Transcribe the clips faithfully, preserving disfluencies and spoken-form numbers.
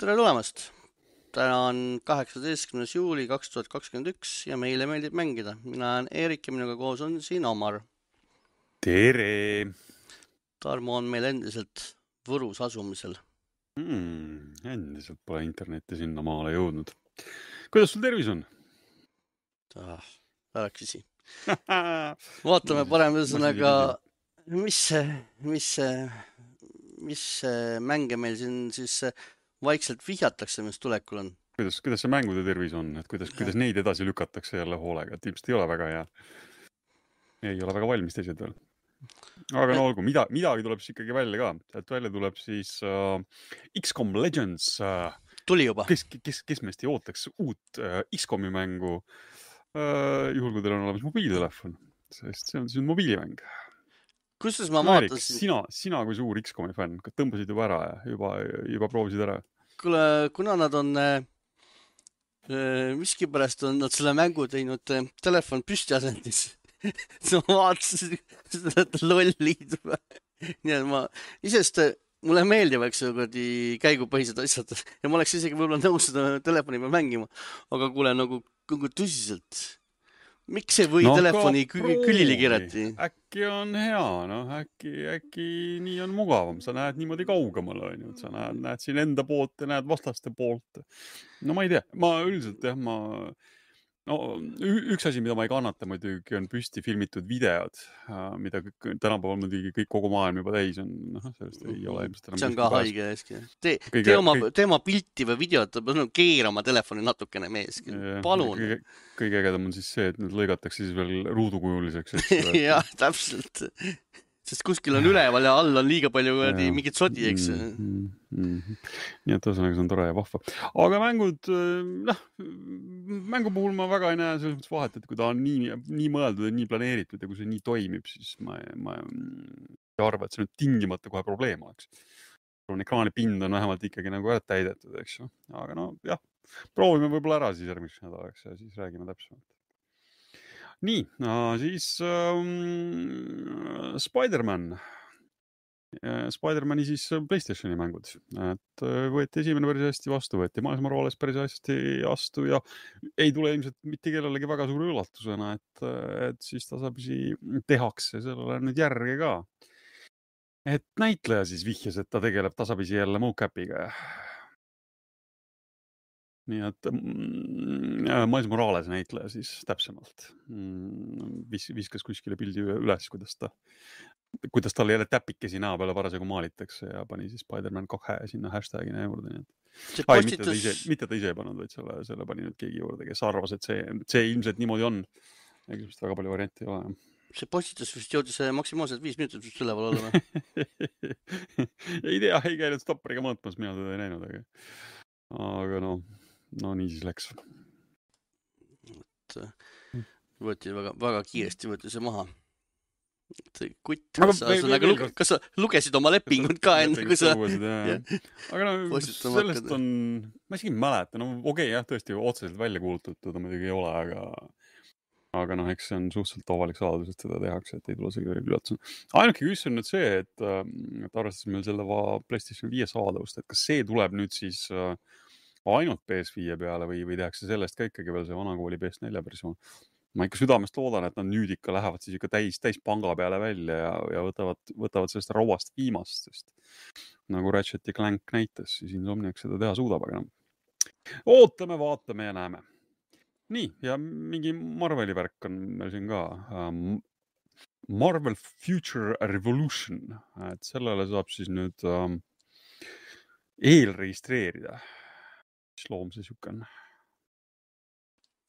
Tere tulemast! Täna on kaheksateistkümnes juuli kaks tuhat kakskümmend üks ja meile meeldib mängida. Mina olen Eerik ja minuga koos on siin Omar. Tere! Tarmo on meil endiselt Võrus asumisel. Hmm, endiselt pole internetti sinna maale jõudnud. Kuidas sul tervis on? Ah, ära küsi. Vaatame parem ühesõnaga, mis, mis, mis mänge meil siin siis vaikselt vihjatakse, mis tulekul on. Kuidas, kuidas see mängude tervis on? Et kuidas, kuidas neid edasi lükatakse jälle hoolega? Et ilmselt ei ole väga hea. Ei ole väga valmis teised veel. Aga no olgu, mida, midagi tuleb siis ikkagi välja ka. Et välja tuleb siis uh, X COM Legends. Uh, Tuli juba. Kes, kes, kes meist ei ootaks uut uh, X COMi mängu uh, juhul, kui teil on olemas mobiiltelefon. Sest see on siis mobiilimäng. Kusjuures ma no, vaatasin... Erik, sina, sina kui suur X COMi fänn, tõmbasid juba ära ja juba, juba proovisid ära? Kuule, kuna nad on äh, miski pärast on nad selle mängu teinud äh, telefon püsti asendis. Ma vaatasin seda lollid. Nii et ma isest mulle meeldivaks käigupõhised asjad ja ma oleks isegi võib-olla nõus seda telefoni peal mängima. Aga kuule, nagu, nagu tõsiselt... Miks ei või no, telefoni kü- külili kirjati? Äkki on hea, no äkki, äkki nii on mugavam. Sa näed niimoodi kaugemal, on ju. Sa näed, näed siin enda poolt ja näed vastaste poolt. No ma ei tea. Ma üldiselt, jah, ma... No, üks asi, mida ma ei kannata muidugi, on püsti filmitud videod, mida tänapäeval muidugi kõik kogu maailm juba täis on. No, sellest ei ole ilmselt enam. See on ka haige eski. Tee, kõige, tee, oma, kõik... tee oma pilti või videot, keera oma telefoni natukene meeski. Palun. Kõige, kõige ägedam on siis see, et nüüd lõigatakse siis veel ruudukujuliseks. Jah, täpselt. Sest kuskil on üleval ja all on liiga palju ja. Mingit sodi, eks. Mm, mm, mm. Nii et tõsanaga see on tore ja vahva. Aga mängud, noh, mängu puhul ma väga ei näe selles mõttes vahet, et kui ta on nii, nii mõeldud ja nii planeeritud ja kui see nii toimib, siis ma, ma ei arva, et see nüüd tingimata kohe probleem oleks. Ekraani pind on vähemalt ikkagi nagu ära täidetud, eks ju. Aga no jah, proovime võib-olla ära siis järgmiseks nädalaks ja siis räägime täpsemalt. Nii, no, siis um, Spider-Man. Spider-Mani siis PlayStationi mängud. Et võeti esimene päris hästi vastu, võeti Miles Morales päris hästi vastu ja ei tule ilmselt mitte kellelegi väga suure üllatusena, et, et siis tasapisi tehakse sellele nüüd järge ka. Et näitleja siis vihjas, et ta tegeleb tasapisi jälle mocapiga. Nii et mm, Miles Morales näitleja siis täpsemalt mm, vis, viskas kuskile pildi üles, kuidas ta, kuidas talle jälle täpikesi näo peale parasjagu maalitakse ja pani siis Spider-Man kahe sinna hashtagina juurde. Nii et... Ai, mitte, ta ise, mitte ta ise ei pannud, vaid selle, selle pani nüüd keegi juurde, kes arvas, et see, see ilmselt niimoodi on. Ja just väga palju varianti ei ole. See postitus vist jõudis maksimaalselt viis minutit vist üleval olla. ei tea, ei käinud stopperiga mõõtmas, mina teda ei näinud, aga, aga no No nii siis läks. Võeti väga, väga kiiresti võeti see maha. Kutt, kas sa, aga luge, kas sa lugesid oma lepingut ka enne, kui sa... Aga no sellest on... Ma isegi mäletan, no okei, okay, jah, tõesti otseselt välja kuulutatud, ta muidugi ei ole, aga... Aga noh, eks see on suhteliselt avalik saladus, et seda tehakse, et ei tule see üllatusena. Ainuke küsimus on nüüd see, et, et arvestades meil selle PlayStation viie saadavust, et kas see tuleb nüüd siis... ainult P S viie peale või, või tehakse sellest ka ikkagi veel see vanakooli P S neli versioon. Ma ikka südamest loodan, et nad nüüd ikka lähevad siis ikka täis, täis panga peale välja ja, ja võtavad, võtavad sellest rauast viimast, sest nagu Ratchet ja Clank näitas, siis Insomniac seda teha suudab, aga no. Ootame, vaatame ja näeme. Nii, ja mingi Marveli värk on meil siin ka. Um, Marvel Future Revolution, et sellele saab siis nüüd um, eelregistreerida. Mis loom see siuke on?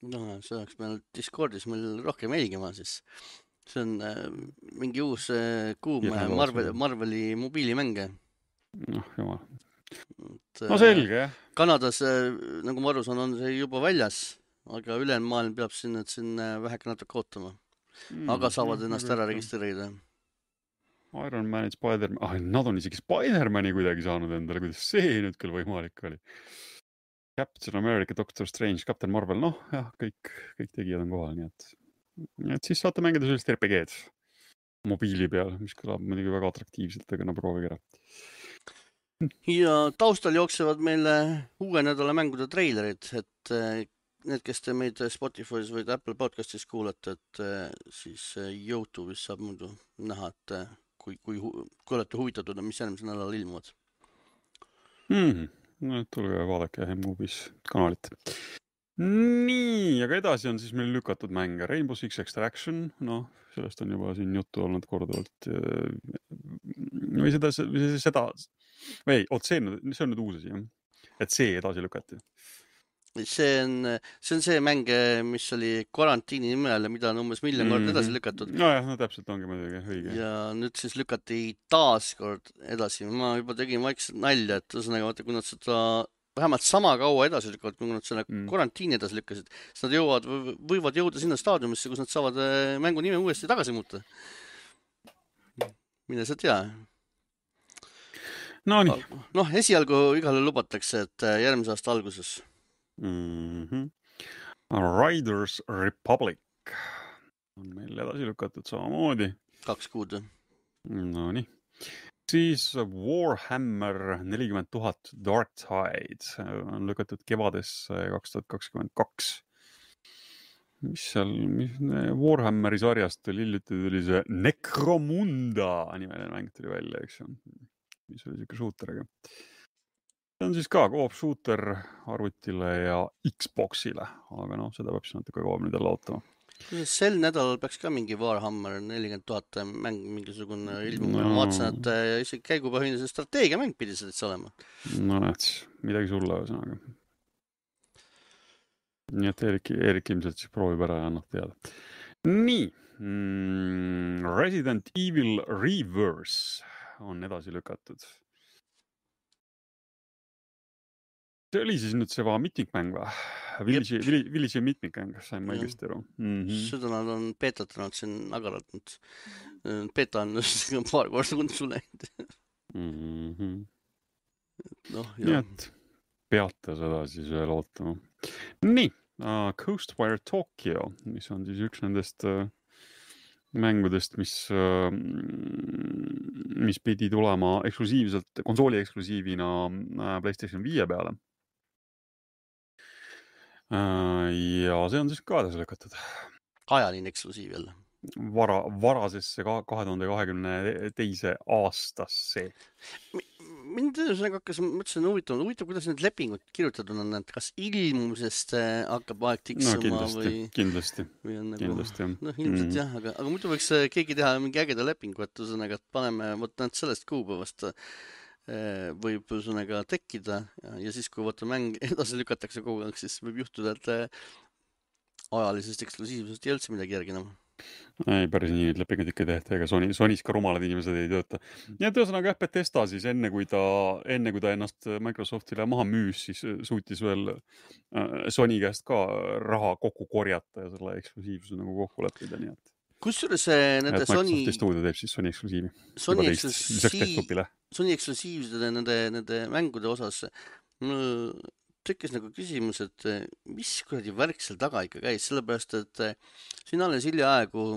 No, see oleks meil Discordis meil rohkem jälgima, siis see on äh, mingi uus äh, kuum Marvel, Marveli mobiilimänge. Noh, jumal. No selge, jah. Kanadas, äh, nagu ma aru saan, on see juba väljas, aga ülejäänud maailm peab siin, et siin väheke natuke ootama. Mm, aga saavad no, ennast ära registreerida. Iron Man, Spider-Man, ah, nad on isegi Spider-Mani kuidagi saanud endale, kuidas see nüüd küll võimalik oli. Captain America, Doctor Strange, Captain Marvel, noh, jah, kõik, kõik tegijad on kohal, nii et, et siis saate mängida sellist R P G-d mobiili peal, mis kõlab muidugi väga atraktiivselt, aga no proovige ära. ja taustal jooksevad meile uue nädala mängude treilerid, et need, kes te meid Spotify's või Apple podcastis kuulete, et siis YouTube'is saab muidu näha, et kui, kui, kui olete huvitatud, mis järgmisel nädalal ilmuvad. Mm-hmm. No, tulge vaadake M-Movies kanalit. Nii, aga edasi on siis meil lükatud mänge. Rainbow Six Extraction, noh, sellest on juba siin juttu olnud korduvalt. Või seda, või seda, või oot, see on, see on nüüd uus asi, jah? Et see edasi lükati. See on, see on see mäng, mis oli karantiini nimel ja mida on umbes miljon mm-hmm. korda edasi lükatud. No jah, no täpselt ongi muidugi õige. Ja nüüd siis lükati taas kord edasi. Ma juba tegin vaikselt nalja, et ühesõnaga, vaata, kui nad seda vähemalt sama kaua edasi lükkavad, kui nad selle mm. karantiini edasi lükkasid, siis nad jõuavad, võivad jõuda sinna staadiumisse, kus nad saavad mängu nime uuesti tagasi muuta. Mine sa tea. No nii. Noh, esialgu igale lubatakse, et järgmise aasta alguses. Mm-hmm. Riders Republic on meil edasi lükatud samamoodi. Kaks kuud. No nii. Siis Warhammer nelikümmend tuhat Dark Tide on lükatud kevadesse kaks tuhat kakskümmend kaks. Mis seal, mis Warhammeri sarjast oli hiljuti tuli see Necromunda nimeline mäng tuli välja, eks ju. Mis oli siuke shooteriga. See on siis ka koop shooter arvutile ja Xboxile, aga noh, seda peab siis natuke kauem nüüd jälle ootama. Sel nädalal peaks ka mingi Warhammer nelikümmend tuhat mäng mingisugune ilmuma. No. Ma vaatasin, et isegi käigupõhine see strateegiamäng pidi selleks olema. No näed, midagi sulle ühesõnaga. Nii et Erik, Erik ilmselt siis proovib ära ja annab teada. Nii, mm, Resident Evil Reverse on edasi lükatud. See oli siis nüüd see vaan mitmikmäng või? Village, Village mitmikmäng, sain ma õigesti aru. Mm-hmm. Seda nad on beetatanud siin agaralt. Beeta on paar korda unsu läinud. Mm-hmm. No, nii et peate seda siis veel ootama. Nii, uh, Coastwire Tokyo, mis on siis üks nendest uh, mängudest, mis, uh, mis pidi tulema eksklusiivselt, konsooli eksklusiivina uh, PlayStation viie peale. Ja see on siis ka edasi lükatud. Ajaline eksklusiiv jälle. Vara, varasesse kahe tuhande kahekümne teise aastasse. Mind hakkas, mõtlesin huvitav, huvitav, kuidas need lepingud kirjutatud on, et kas ilmumisest hakkab aeg tiksuma no, kindlasti, või... Kindlasti, või on nagu, kindlasti, jah. No ilmselt mm. jah, aga, aga muidu võiks keegi teha mingi ägeda lepingu, et ühesõnaga, et paneme võtnud sellest kuupäevast võib ühesõnaga tekkida ja, ja siis, kui võtta mäng edasi lükatakse kogu aeg, siis võib juhtuda, et ajalisest eksklusiivsust ei üldse midagi järgi enam. Ei, päris nii lepingud ikka tehti, ega Sony, Sonys ka rumalad inimesed ei tööta. Ja tõusõnaga Bethesda siis enne kui, ta, enne kui ta ennast Microsoftile maha müüs, siis suutis veel Sony käest ka raha kokku korjata ja selle eksklusiivsuse nagu kokku leppida, nii et kusjuures nende et Sony Microsofti stuudio teeb siis Sony eksklusiivi. Sony eksklusiiv, Sony eksklusiivside nende, nende mängude osas mul tekkis nagu küsimus, et mis kuradi värk seal taga ikka käis, sellepärast, et siin alles hiljaaegu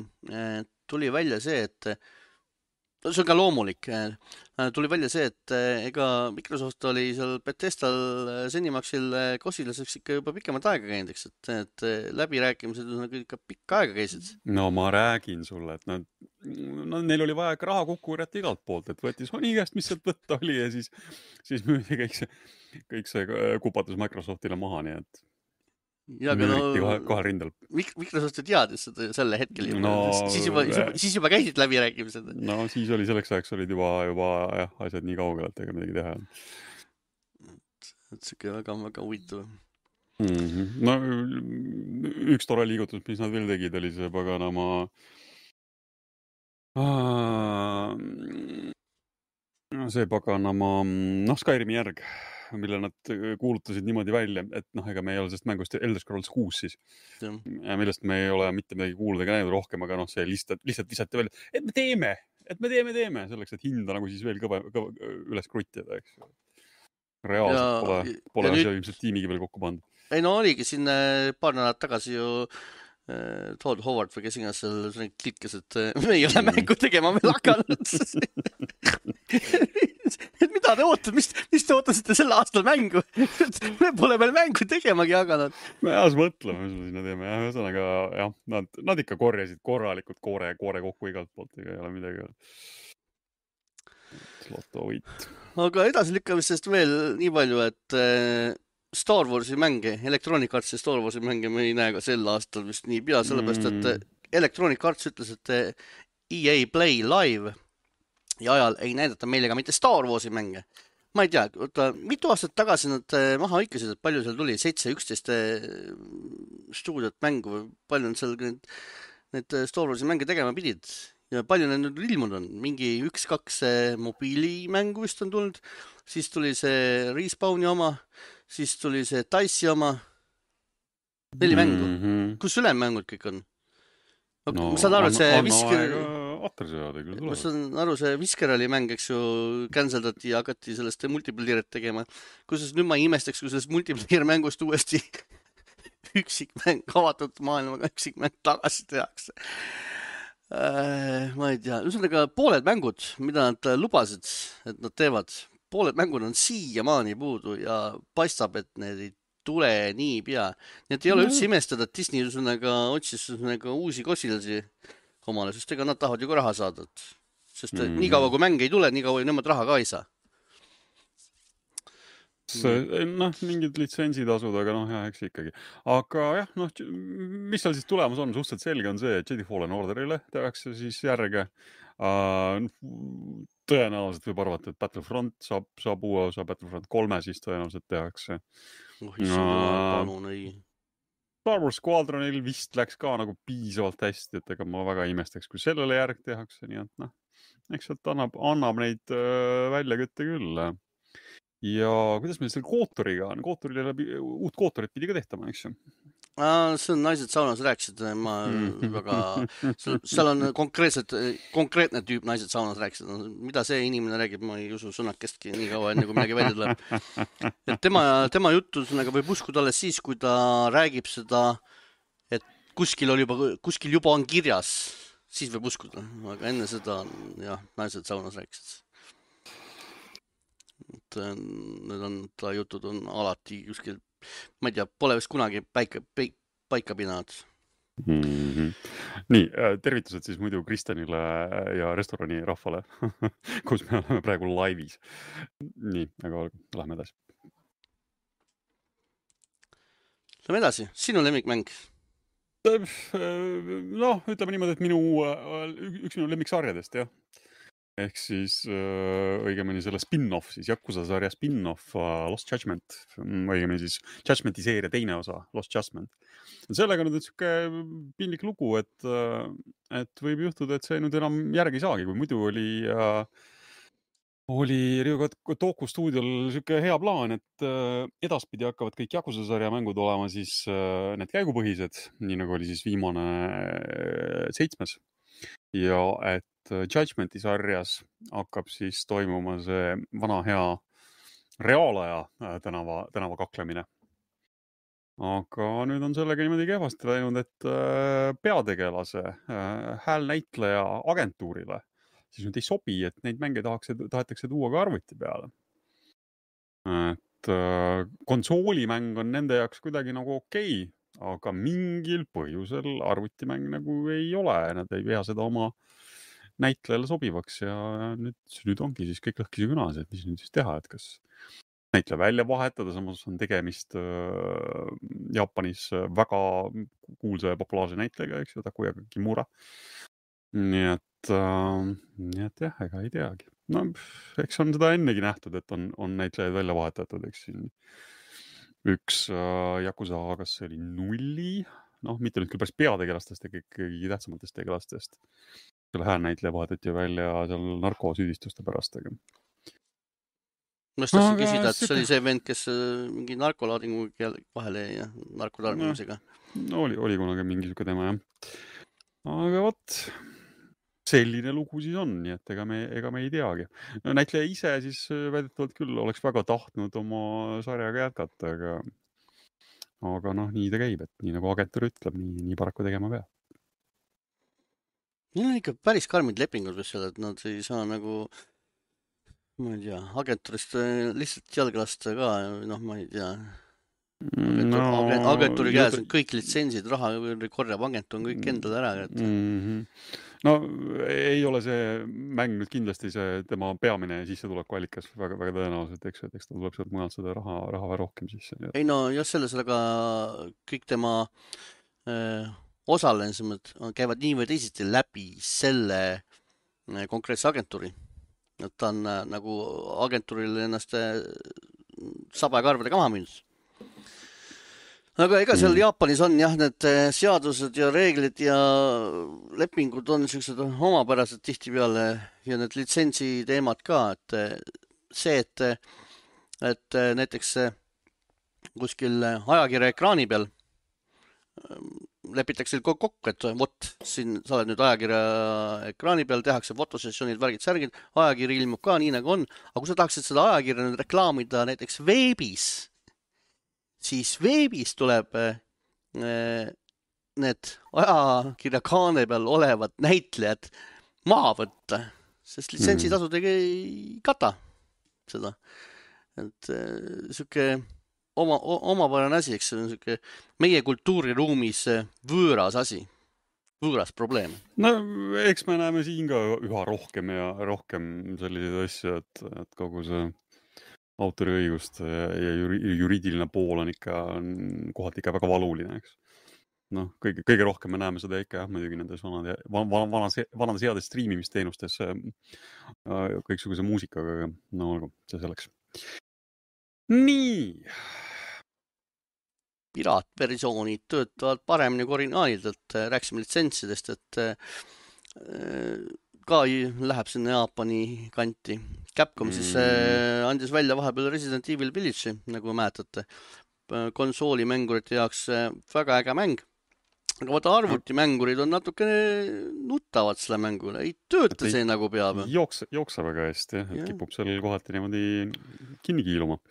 tuli välja see, et see on ka loomulik, tuli välja see, et ega Microsoft oli seal Bethesdal Zenimaxil kosilaseks ikka juba pikemat aega käinud, eks, et, et läbirääkimised nagu ikka pikka aega käisid. No ma räägin sulle, et nad, no, neil oli vaja raha kokku korjata igalt poolt, et võeti Sony käest, mis sealt võtta oli ja siis, siis müüdi kõik see, kõik see kupatus Microsoftile maha, nii et ja, aga no, kohe, kohe rindel. Microsoft teadis seda sellel hetkel juba. No, siis, juba, siis juba käisid läbirääkimised. No siis oli selleks ajaks olid juba, juba jah, asjad nii kaugel, et ega midagi teha. Et see väga, väga huvitav. Mm-hmm. No üks tore liigutus, mis nad veel tegid, oli see paganama see paganama noh, Skyrimi järg, mille nad kuulutasid niimoodi välja, et noh, ega me ei ole sellest mängust Elder Scrolls kuus siis, ja. Millest me ei ole mitte midagi kuulda ega näinud rohkem, aga noh, see lihtsalt, lihtsalt lisati välja, et me teeme, et me teeme, teeme, selleks, et hinda nagu siis veel kõva, kõva üles kruttida, eks. Reaalselt ja, pole, pole asja ilmselt tiimigi veel kokku pandud. Ei no oligi siin paar nädalat tagasi ju äh, Todd Howard või kes iganes seal klikkes, et me ei ole mängu tegema veel hakanud. et mida te ootate, mis, mis te ootasite sel aastal mängu? Me pole veel mängu tegemagi hakanud. Me jah, mõtleme, mis me sinna teeme. Ja, ühesõnaga, jah, nad, nad ikka korjasid korralikult koore, koore kokku igalt poolt, ega ei ole midagi. Loto võit. Aga edasilükkamisest veel nii palju, et Star Warsi mänge, Electronic Artsi Star Warsi mänge me ei näe ka sel aastal vist nii pea, sellepärast, et Electronic Arts ütles, et E A Play Live ja ajal ei näidata meile ka mitte Star Warsi mänge. Ma ei tea, oota, mitu aastat tagasi nad maha hõikasid, et palju seal tuli, seitse üksteist stuudiot mängu või palju on seal need, need Star Warsi mänge tegema pidid ja palju need nüüd ilmunud on. Mingi üks-kaks mobiilimängu vist on tulnud, siis tuli see Respawni oma, siis tuli see Dice'i oma, neli mängu. Mm-hmm. Kus ülem-mängud kõik on? No, ma saan aru, et see Visker... ma saan aru, see Visker oli mäng, eks ju, canceldati ja hakati sellest multiplayerit tegema. Kusjuures nüüd ma ei imestaks, kui sellest multiplayer mängust uuesti üksikmäng, avatud maailmaga üksikmäng tagasi tehakse. Äh, ma ei tea, ühesõnaga pooled mängud, mida nad lubasid, et nad teevad, pooled mängud on siiamaani puudu ja paistab, et need ei tule nii pea. Nii et ei ole üldse imestada, et Disney ühesõnaga otsis ühesõnaga uusi kosilasi omale, sest ega nad tahavad ju ka raha saada. Sest mm-hmm. nii kaua, kui mäng ei tule, nii kaua nemad raha ka ei saa. Noh, mingid litsentsitasud, aga noh, jah, eks ikkagi. Aga jah, noh, mis seal siis tulemus on? Suhteliselt selge on see, et Jedi Fallen Orderile tehakse siis järge. Uh, tõenäoliselt võib arvata, et Battlefront saab, saab uue osa, Battlefront kolme siis tõenäoliselt tehakse. Oh, palun, ei. Star Wars Squadronil vist läks ka nagu piisavalt hästi, et ega ma väga imestaks, kui sellele järg tehakse, nii et noh, eks sealt annab, annab neid uh, väljakütte küll. Ja kuidas meil selle Kootoriga on? Kootorile läbi, uut Kootorit pidi ka tehtama, eks ju? See on naised saunas rääkisid, ma väga, seal on konkreetselt, konkreetne tüüp naised saunas rääkisid, mida see inimene räägib, ma ei usu sõnakestki nii kaua enne, kui midagi välja tuleb. Et tema, tema juttu võib uskuda alles siis, kui ta räägib seda, et kuskil, oli juba, kuskil juba on kirjas, siis võib uskuda, aga enne seda on, jah, naised saunas rääkisid. Et need on, ta jutud on alati kuskil, ma ei tea, pole vist kunagi paika, paika pinanud. Mm-hmm. Nii, tervitused siis muidu Kristjanile ja restorani rahvale, kus me oleme praegu laivis. Nii, aga lähme edasi. Lähme edasi, sinu lemmikmäng? Noh, ütleme niimoodi, et minu, üks minu lemmiksarjadest, jah. Ehk siis äh, õigemini selle spin-off, siis Yakuza sarja spin-off uh, Lost Judgment, õigemini siis Judgmenti seeria teine osa, Lost Judgment. Sellega nüüd on siuke pinlik lugu, et, uh, et võib juhtuda, et see nüüd enam järgi saagi, kui muidu oli, uh, oli Ryo Toku stuudiol siuke hea plaan, et uh, edaspidi hakkavad kõik Yakuza sarja mängud olema siis uh, need käigupõhised, nii nagu oli siis viimane uh, seitsmes. Ja et Judgmenti sarjas hakkab siis toimuma see vana hea reaalaja tänava, tänava kaklemine. Aga nüüd on sellega niimoodi kehvasti läinud, et peategelase häälnäitleja agentuurile siis nüüd ei sobi, et neid mänge tahaks, tahetakse tuua ka arvuti peale. Et konsoolimäng on nende jaoks kuidagi nagu okei, aga mingil põhjusel arvutimäng nagu ei ole. Nad ei pea seda oma näitlejale sobivaks ja nüüd, nüüd ongi siis kõik lõhkisi künas, et mis nüüd siis teha, et kas näitleja välja vahetada, samas on tegemist äh, Jaapanis väga kuulsa ja populaarse näitlejaga, eks ju, Takuya Kimura. Nii et, äh, nii et jah, ega ei teagi. No, eks on seda ennegi nähtud, et on, on näitlejaid välja vahetatud, eks siin üks äh, Yakuza, kas see oli nulli, noh, mitte nüüd küll päris peategelastest, aga ikkagi tähtsamatest tegelastest. Selle häälnäitleja vahetati välja seal narkosüüdistuste pärast. Aga... Ma just tahtsin küsida, et see oli see vend, kes mingi narkolaadingu vahele ja narkotarbimisega. No, oli, oli kunagi mingi siuke tema, jah. Aga võt, selline lugu siis on, nii et ega me, ega me ei teagi. No, näitleja ise siis väidetavalt küll oleks väga tahtnud oma sarjaga jätkata, aga, aga noh, nii ta käib, et nii nagu agentuur ütleb, nii, nii paraku tegema peab. Neil on ikka päris karmid lepingud või seal, et nad ei saa nagu ma ei tea, agenturist lihtsalt jalga lasta ka, noh, ma ei tea. No, Agentur, agenturi käes jutu... on kõik litsentsid, raha korjab agentur on kõik endale ära. Et... Mm-hmm. No ei ole see mäng nüüd kindlasti see tema peamine sissetulekuallikas väga, väga tõenäoliselt, eks, et eks ta tuleb sealt mujalt seda raha, raha või rohkem sisse. Ei no just selles, aga kõik tema öö, osalemised käivad nii või teisiti läbi selle konkreetse agentuuri. Et ta on nagu agentuuril ennast saba ja karvadega maha müünud. Aga ega seal Jaapanis on jah, need seadused ja reeglid ja lepingud on sellised omapärased tihtipeale ja need litsentsi teemad ka, et see, et, et näiteks kuskil ajakirja ekraani peal lepitakse kokku, et vot, siin sa oled nüüd ajakirja ekraani peal, tehakse fotosessioonid, värgid, särgid, ajakiri ilmub ka nii nagu on, aga kui sa tahaksid seda ajakirja nüüd reklaamida näiteks veebis, siis veebis tuleb need ajakirja kaane peal olevad näitlejad maha võtta, sest litsentsitasud ei kata seda. Et siuke oma, omapärane asi, eks see on siuke meie kultuuriruumis võõras asi, võõras probleem. No eks me näeme siin ka üha rohkem ja rohkem selliseid asju, et, et kogu see autoriõigust ja juriidiline pool on ikka kohati ikka väga valuline, eks. Noh, kõige, kõige rohkem me näeme seda ikka jah, muidugi nendes vanade, vanades, vanades heades streamimisteenustes kõiksuguse muusikaga, no olgu, see selleks. Nii! Piraatversioonid töötavad paremini kui originaalidelt, rääksime litsentsidest, et ka läheb sinna Jaapani kanti. Capcom mm. siis äh, andis välja vahepeal Resident Evil Village'i, nagu mäletate, konsoolimängurite jaoks äh, väga äge mäng. Aga vaata arvutimängurid on natuke nutavad selle mängule, ei tööta see nagu peab. Jookse, jookse väga hästi, et kipub seal kohati niimoodi kinni kiiluma.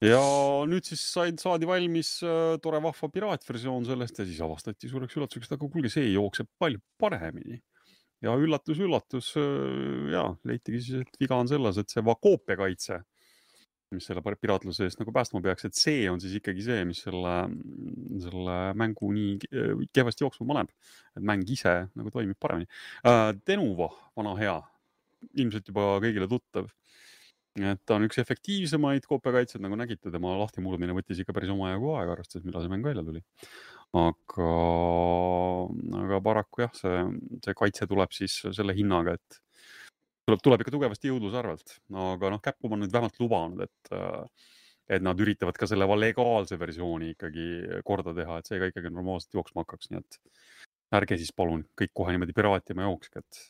Ja nüüd siis said, saadi valmis äh, tore vahva piraatversioon sellest ja siis avastati suureks üllatuseks, et aga kuulge, see jookseb palju paremini. Ja üllatus, üllatus, ja leitigi siis, et viga on selles, et see koopiakaitse, mis selle piraatluse eest nagu päästma peaks, et see on siis ikkagi see, mis selle, selle mängu nii kehvasti jooksma paneb, et mäng ise nagu toimib paremini. Denuvo, vana hea, ilmselt juba kõigile tuttav. Et ta on üks efektiivsemaid koopiakaitsed, nagu nägite, tema lahtimurdmine võttis ikka päris oma ajagu aega, arvestades, millal see mäng välja tuli. Aga, aga paraku jah, see, see kaitse tuleb siis selle hinnaga, et tuleb, tuleb ikka tugevasti jõudluse arvelt. Aga noh, Capcom on nüüd vähemalt lubanud, et, et nad üritavad ka selle legaalse versiooni ikkagi korda teha, et see ka ikkagi normaalselt jooksma hakkaks. Nii et ärge siis palun kõik kohe niimoodi piraatima jookske, et,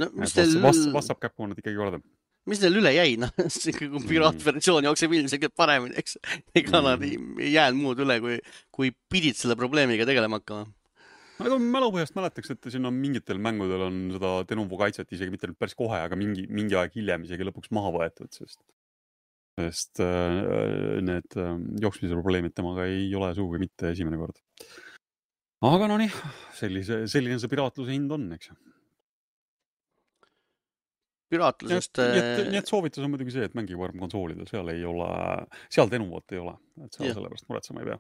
no, et teil... vast, vastab Capcom nad ikkagi korda. Mis neil üle jäi, noh, kui piraatversioon jookseb ilmselt paremini, eks. Ega nad ei, ei jäänud muud üle, kui, kui pidid selle probleemiga tegelema hakkama. Aga mälupõhjast mäletaks, et siin on mingitel mängudel on seda Denuvo kaitset isegi mitte päris kohe, aga mingi, mingi aeg hiljem isegi lõpuks maha võetud, sest, sest äh, need äh, jooksmise probleemid temaga ei ole sugugi mitte esimene kord. Aga no nii, sellise, selline see piraatluse hind on, eks. Piraatlusest... Nii et, nii et soovitus on muidugi see, et mängige varem konsoolidel, seal ei ole, seal Denuvot ei ole, et seal sellepärast muretsema ei pea.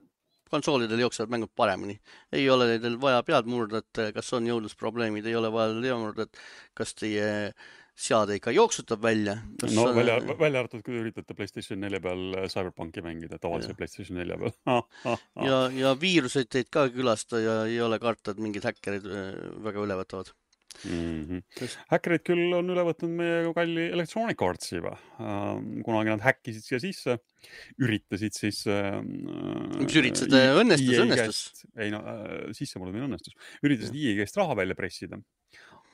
Konsoolidel jooksevad mängud paremini. Ei ole teil vaja pead murda, et kas on jõudlusprobleemid, ei ole vaja teha murda, et kas teie seade ikka jooksutab välja. Kas no on... välja, välja arvatud, kui üritate PlayStation nelja peal Cyberpunki mängida, tavalise PlayStation nelja peal. Ah, ah, ah. Ja, ja viiruseid teid ka külasta ja ei ole karta, et mingid häkkerid väga üle võtavad. Mm-hmm. Häkkerid küll on üle võtnud meie kalli Electronic Artsi juba. Kunagi nad häkkisid siia sisse, üritasid siis... Mis üritasid? Õnnestus, õnnestus? Ei no, sisse mulle meil õnnestus. Üritasid I E käest raha välja pressida.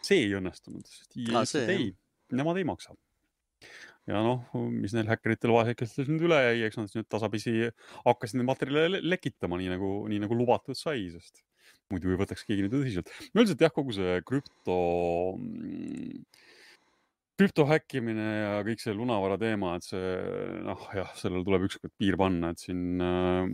See ei õnnestunud, sest I E ah, see, ei, nemad ei maksa. Ja noh, mis neil häkkeritel vahesekestes nüüd üle jäi, eks nad nüüd tasapisi hakkasid neid materjale lekitama, nii nagu, nii nagu lubatud sai, sest muidu ei võtaks keegi nüüd tõsiselt. No üldiselt jah, kogu see krüpto, krüpto häkkimine ja kõik see lunavara teema, et see, noh jah, sellel tuleb ükskord piir panna, et siin äh,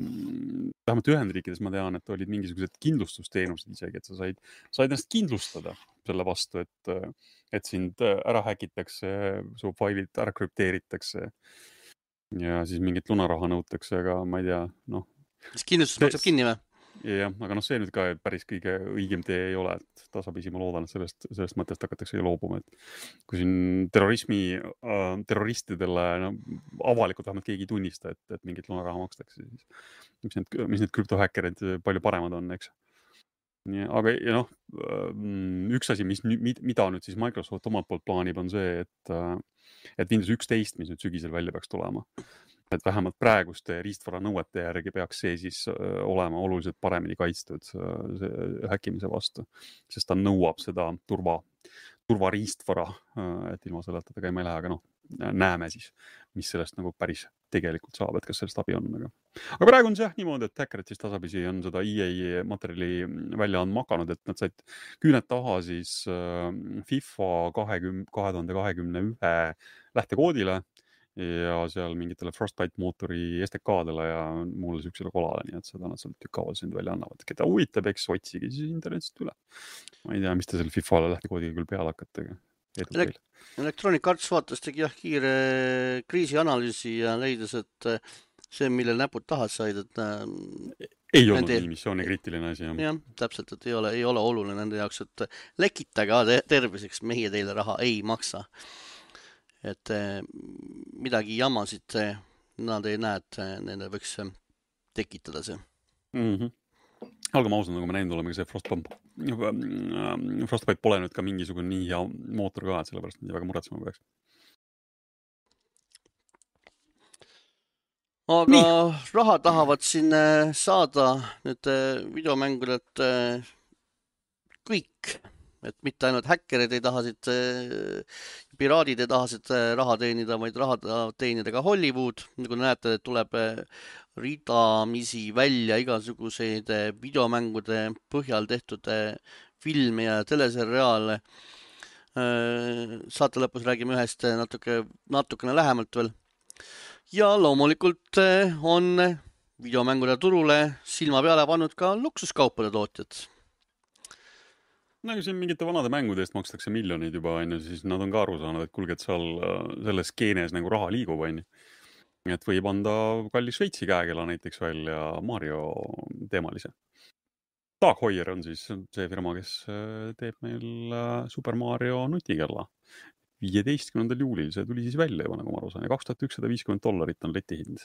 vähemalt Ühendriikides ma tean, et olid mingisugused kindlustusteenused isegi, et sa said, said ennast kindlustada selle vastu, et, et sind ära häkitakse, su failid ära krüpteeritakse ja siis mingit lunaraha nõutakse, aga ma ei tea, noh. Siis kindlustus maksab kinni või? Jah, aga noh, see nüüd ka päris kõige õigem tee ei ole, et tasapisi ma loodan, et sellest, sellest mõttest hakatakse loobuma, et kui siin terrorismi, äh, terroristidele no, avalikult vähemalt keegi ei tunnista, et, et mingit lunaraha makstakse, siis mis need, mis need krüptohäkkerid palju paremad on, eks. Ja, aga ja noh, üks asi, mis, mida nüüd siis Microsoft omalt poolt plaanib, on see, et, et Windows üksteist, mis nüüd sügisel välja peaks tulema, et vähemalt praeguste riistvara nõuete järgi peaks see siis olema oluliselt paremini kaitstud häkkimise vastu, sest ta nõuab seda turva, turvariistvara, et ilma selleta ta käima ei lähe, aga noh, näeme siis, mis sellest nagu päris tegelikult saab, et kas sellest abi on. Aga, aga praegu on see jah niimoodi, et häkkerid siis tasapisi on seda E A materjali välja andma hakanud, et nad said küüned taha siis FIFA kahekümne, kahe tuhande kahekümne ühe lähtekoodile ja seal mingitele Frostbite mootori S D K-dele ja mulle süksele kolale, nii et seda nad sealt tükkaval sind välja annavad. Keda huvitab, eks otsige siis internetist üle. Ma ei tea, mis te selle FIFA-le lähtekoodiga küll peale hakkate. Elek Electronic Arts vaatas tegi jah kiire kriisianalüüsi ja leidis, et see, mille näpud tahad said, et ei olnud nende... nii missiooni kriitiline asi. Jah, jah täpselt, et ei ole, ei ole oluline nende jaoks, et lekitage terviseks, meie teile raha ei maksa. Et midagi jamasid nad ei näe, et nende võiks tekitada see. Mm-hmm. Algama ausalt, nagu me näinud oleme, see Frostbite, Frostbite pole nüüd ka mingisugune nii hea mootor ka, et sellepärast nii väga muretsema peaks. Aga nii. Raha tahavad siin saada nüüd videomängudelt kõik. Et mitte ainult häkkerid ei taha siit, piraadid ei taha siit raha teenida, vaid raha teenida ka Hollywood. Nagu näete, tuleb ridamisi välja igasuguseid videomängude põhjal tehtud filme ja teleseriaale. Saate lõpus räägime ühest natuke, natukene lähemalt veel. Ja loomulikult on videomängude turule silma peale pannud ka luksuskaupade tootjad. No siin mingite vanade mängude eest makstakse miljonid juba, on, siis nad on ka aru saanud, et kulge, et seal selles skeenes nagu raha liigub, on. Et võib anda kalli Šveitsi käekella näiteks välja Mario teemalise. Dag Heuer on siis see firma, kes teeb meil Super Mario nutikella. viieteistkümnendal juulil see tuli siis välja juba, nagu ma aru saan, ja kaks tuhat ükssada viiskümmend dollarit on leti hind.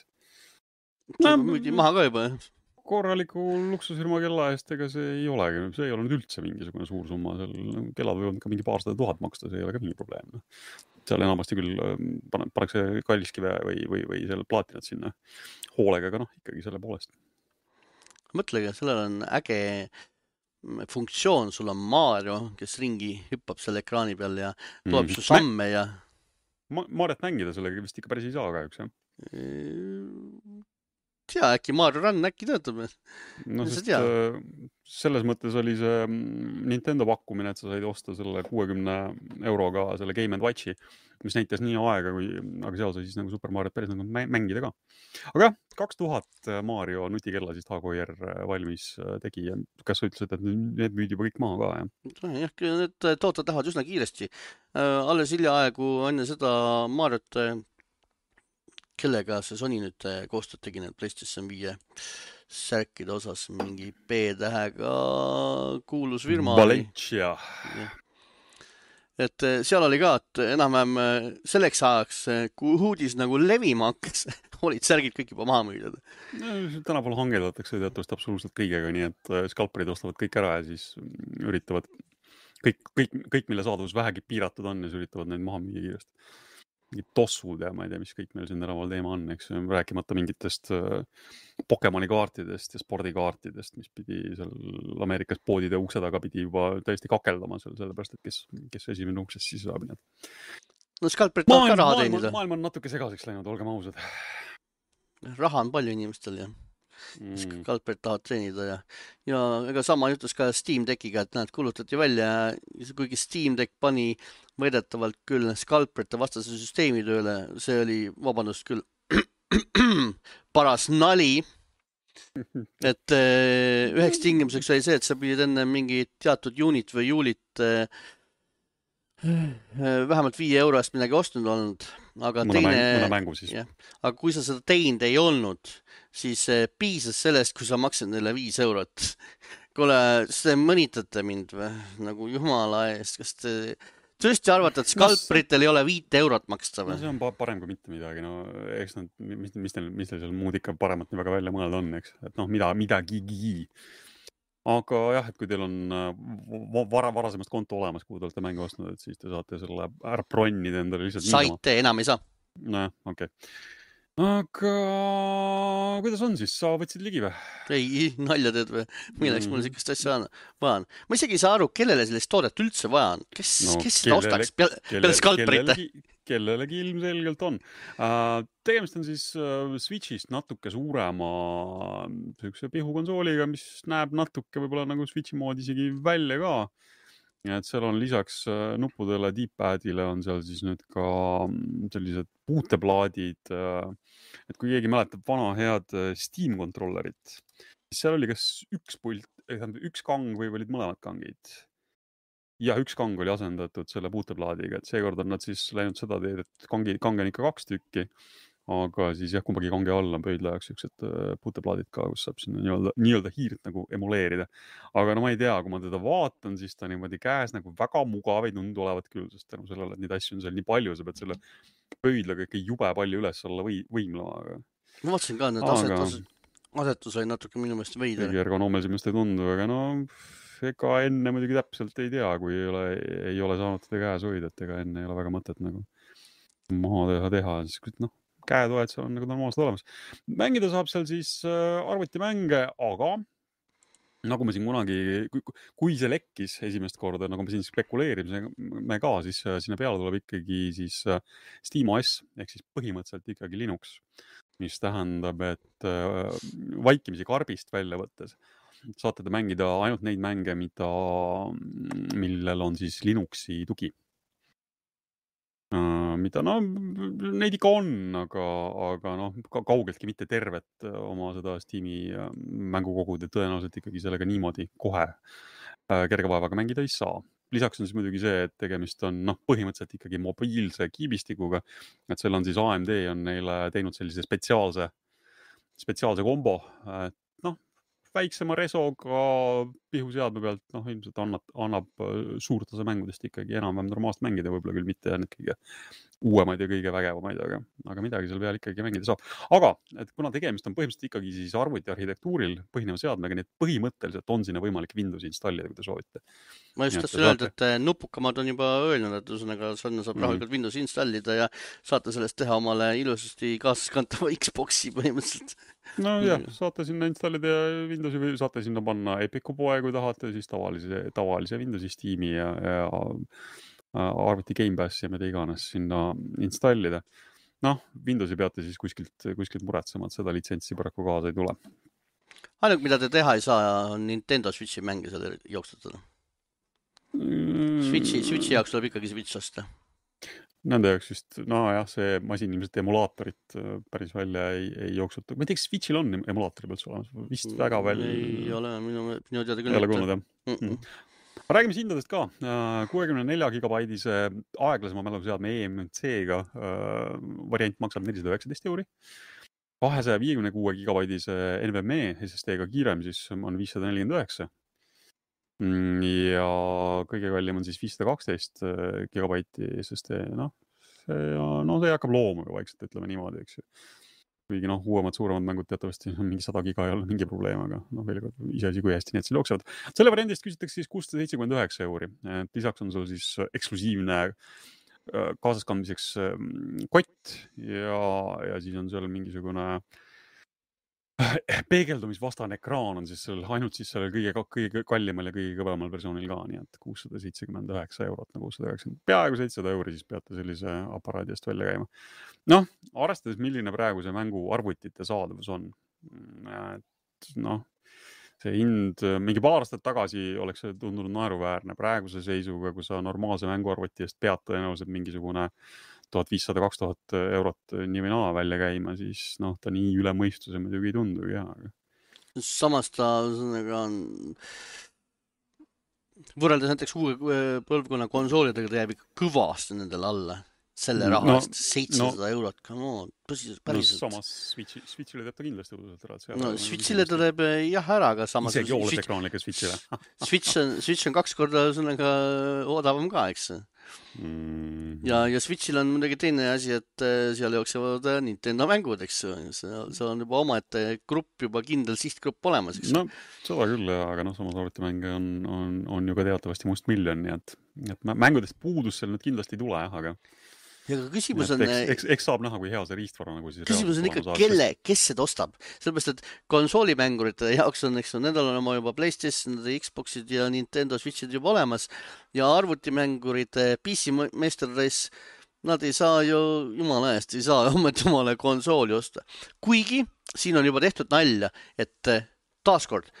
No, müüdi maha ka juba, jah? Korraliku luksusfirma kella eest, ega see ei olegi, see ei ole nüüd üldse mingisugune suur summa, seal kellad võivad ka mingi paarsada tuhat maksta, see ei ole ka mingi probleem. Seal enamasti küll paneks kalliskive või, või, või seal plaatinat sinna hoolega, aga noh, ikkagi selle poolest. Mõtlege, sellel on äge funktsioon, sul on Mario, kes ringi hüppab selle ekraani peal ja tuleb mm. su samme ja... Ma, Mariot mängida sellega vist ikka päris ei saa kahjuks, jah? Tea, äkki Mario Run äkki töötab. No, sest, selles mõttes oli see Nintendo pakkumine, et sa said osta selle kuuekümne euroga selle Game and Watchi, mis näitas nii aega, kui, aga seal sai siis nagu Super Mario päris nagu mängida ka. Aga kaks tuhat Mario nutikella siis Dag Heuer valmis tegi ja kas sa ütlesid, et need müüdi juba kõik maha ka? Ja? Jah, need tooted lähevad üsna kiiresti. Alles hiljaaegu enne seda Mariot kellega see Sony nüüd koostööd tegi need PlayStation viie särkide osas, mingi B-tähega kuulus firma. Valencia. Et seal oli ka, et enam-vähem selleks ajaks, kui uudis nagu levima hakkas, olid särgid kõik juba maha müüdud. Tänapäeval hangeldatakse teatavasti absoluutselt kõigega, nii et skalperid ostavad kõik ära ja siis üritavad kõik, kõik, kõik mille saadavus vähegi piiratud on ja siis üritavad neid maha müüa kiiresti. Mingid tossud ja ma ei tea, mis kõik meil siin tänaval teema on, eks rääkimata mingitest Pokemoni kaartidest ja spordikaartidest, mis pidi seal Ameerikas poodide ukse taga pidi juba täiesti kakeldama seal, sellepärast, et kes, kes esimene uksest siis saab. No skalperid tahab ka raha teenida. Maailm on natuke segaseks läinud, olgem ausad. Raha on palju inimestel, jah. Mm. Skalperid tahavad treenida ja, ja ega sama jutus ka Steam Deckiga, et näed, kulutati välja, kuigi Steam Deck pani võidetavalt küll skalperite vastase süsteemi tööle, see oli, vabandust küll, paras nali, et äh, üheks tingimuseks oli see, et sa pidid enne mingi teatud unit või juulit äh, vähemalt viie euro eest midagi ostnud olnud, aga mõne, teine, mäng, mõne mängu siis. jah, aga kui sa seda teinud ei olnud, siis piisas sellest, kui sa maksid neile viis eurot. Kuule, kas te mõnitate mind või? Nagu jumala eest, kas te tõesti arvate, et skalpritel ei ole viite eurot maksta või? No see on parem kui mitte midagi, no eks nad, mis, mis teil, mis teil seal muud ikka paremat nii väga välja mõelda on, eks, et noh, mida, midagigi. Aga jah, et kui teil on vara, varasemast konto olemas, kuhu te olete mängu ostnud, et siis te saate selle ära bronnida endale lihtsalt niisama. Saite, enam ei saa. Nojah, okei. Okay. Aga kuidas on siis? Sa võtsid ligi või? Ei, nalja teed või? Milleks mm. mul siukest asja vaja on? Ma isegi ei saa aru, kellele sellist toodet üldse vaja on. Kes, no, kes seda ostaks peale, peale skalprite? Kellelegi, kellelegi ilmselgelt on. Uh, tegemist on siis uh, Switchist natuke suurema sükse pihukonsooliga, mis näeb natuke võib-olla nagu Switchi moodi isegi välja ka. Ja et seal on lisaks nuppudele, D-padile on seal siis nüüd ka sellised puuteplaadid. Et kui keegi mäletab vana head Steam kontrollerit, siis seal oli kas üks pult, üks kang või olid mõlemad kangid. Ja üks kang oli asendatud selle puuteplaadiga, et seekord on nad siis läinud seda teed, et kangi, kange on ikka kaks tükki. Aga siis jah, kumbagi kange all on pöidla jaoks siuksed puuteplaadid ka, kus saab sinna nii-öelda, nii-öelda hiirt nagu emuleerida. Aga no ma ei tea, kui ma teda vaatan, siis ta niimoodi käes nagu väga mugav ei tundu olevat küll, sest tänu sellele, et neid asju on seal nii palju, sa pead selle pöidlaga ikka jube palju üles olla või, võimlema. Aga... Ma vaatasin ka, need aga... asetus, asetus oli natuke minu meelest veider. Kõige ergonoomelsimast ei tundu, aga no ega enne muidugi täpselt ei tea, kui ei ole, ei ole saanud teda käes hoida, et ega enne ei ole väga mõtet nagu maha teha, teha. Siis, noh, käetoed seal on nagu normaalselt olemas. Mängida saab seal siis arvutimänge, aga nagu me siin kunagi, kui, kui see lekkis esimest korda, nagu me siin spekuleerimisime ka, siis sinna peale tuleb ikkagi siis SteamOS, ehk siis põhimõtteliselt ikkagi Linux, mis tähendab, et vaikimisi karbist välja võttes saate te mängida ainult neid mänge, mida, millel on siis Linuxi tugi. Uh, mida, no, neid ikka on, aga, aga noh, kaugeltki mitte tervet oma seda Steam'i mängukogud ja tõenäoliselt ikkagi sellega niimoodi kohe uh, kergevaevaga mängida ei saa. Lisaks on siis muidugi see, et tegemist on noh, põhimõtteliselt ikkagi mobiilse kiibistikuga, et seal on siis A M D on neile teinud sellise spetsiaalse, spetsiaalse kombo, et noh, väiksema resoga pihuseadme pealt, noh, ilmselt annab, annab suurt osa mängudest ikkagi enam-vähem normaalselt mängida, võib-olla küll mitte need kõige uuemaid ja kõige vägevamaid, aga, aga midagi seal peal ikkagi mängida saab. Aga, et kuna tegemist on põhimõtteliselt ikkagi siis arvuti arhitektuuril põhineva seadmega, nii et põhimõtteliselt on sinna võimalik Windows installida, kui te soovite. Ma just tahtsin öelda, et nupukamad on juba öelnud, et ühesõnaga sinna saab rahulikult mm-hmm. Windows installida ja saate sellest teha omale ilusasti kaasaskantava Xboxi põhimõtteliselt. No jah, saate sinna installida Windowsi või saate sinna panna Epicu poe, kui tahate, siis tavalise, tavalise Windowsi Steam'i ja, ja arvuti Game Pass ja mida iganes sinna installida. Noh, Windowsi peate siis kuskilt, kuskilt muretsema, et seda litsentsi paraku kaasa ei tule. Ainult, mida te teha ei saa, on Nintendo Switchi mänge seal jooksutada. Mm. Switchi, Switchi jaoks tuleb ikkagi Switch osta. Nende jaoks just, no jah, see masin ilmselt emulaatorit päris välja ei, ei jooksuta. Ma ei tea, kas Switchil on emulaatori pealt olemas? Vist väga veel... Ei ole, minu, minu teada küll. Ei ole kuulnud, jah. Mm -mm. Räägime hindadest ka. kuuekümne nelja gigabaidise aeglasema mäluseadme E M C-ga variant maksab nelisada üheksateist euri. kahesaja viiekümne kuue gigabaidise N V M E S S D-ga kiirem siis on viissada nelikümmend üheksa. Ja kõige kallim on siis viissada kaksteist gigabaiti S S D, noh, see, no see hakkab loomuga vaikselt, ütleme niimoodi, eks ju. Kuigi noh, uuemad, suuremad mängud teatavasti on mingi sada giga ei ole mingi probleem, aga noh, veel kord ise asi kui hästi need seal jooksevad. Selle variandist küsitakse siis kuussada seitsekümmend üheksa euri. Et lisaks on sul siis eksklusiivne kaasaskandmiseks kott ja, ja siis on seal mingisugune peegeldumisvastane ekraan on siis seal ainult siis sellel kõige, kõige kallimal ja kõige kõvemal versioonil ka, nii et kuussada seitsekümmend üheksa eurot, nagu kuussada üheksakümmend, peaaegu seitsesada euri siis peate sellise aparaadi eest välja käima. Noh, arvestades, milline praegu see mängu arvutite saadavus on, et noh, see hind mingi paar aastat tagasi oleks see tundunud naeruväärne praeguse seisuga, kui sa normaalse mänguarvuti eest pead tõenäoliselt mingisugune tuhat viissada kaks tuhat eurot nii või naa välja käima, siis noh, ta nii üle mõistuse muidugi ei tundu. Ja. samas ta on võrreldes näiteks uue põlvkonna konsoolidega, ta jääb ikka kõvasti nendele alla. Selle raha eest no, seitsesada no, eurot, come on, tõsiselt, päriselt. No samas Switchi, Switchile teeb ta kindlasti õudselt ära. No Switchile ta teeb jah ära, aga samas... Isegi oolesekraanlike Switchile. Switch on, Switch on kaks korda sõnaga odavam ka, eks. Mm. Ja, ja Switchil on muidugi teine asi, et seal jooksevad Nintendo mängud, eks. See on juba oma, et grupp juba kindel sihtgrupp olemas, eks. No, seda küll, aga noh, samas arvutimänge on, on, on ju ka teatavasti must miljon, nii et, et mängudest puudus seal nüüd kindlasti ei tule, jah, aga ja ka küsimus on... Eks, eks, eks saab näha, kui hea see riistvara nagu siis... Küsimus on ikka, kelle, kes seda ostab. Sellepärast, et konsoolimängurite jaoks on, eks on, nendel on oma juba PlayStation, Xboxid ja Nintendo Switchid juba olemas. Ja arvutimängurite P C Master Race, nad ei saa ju, jumala eest, ei saa ometi omale konsooli osta. Kuigi, siin on juba tehtud nalja, et taaskord,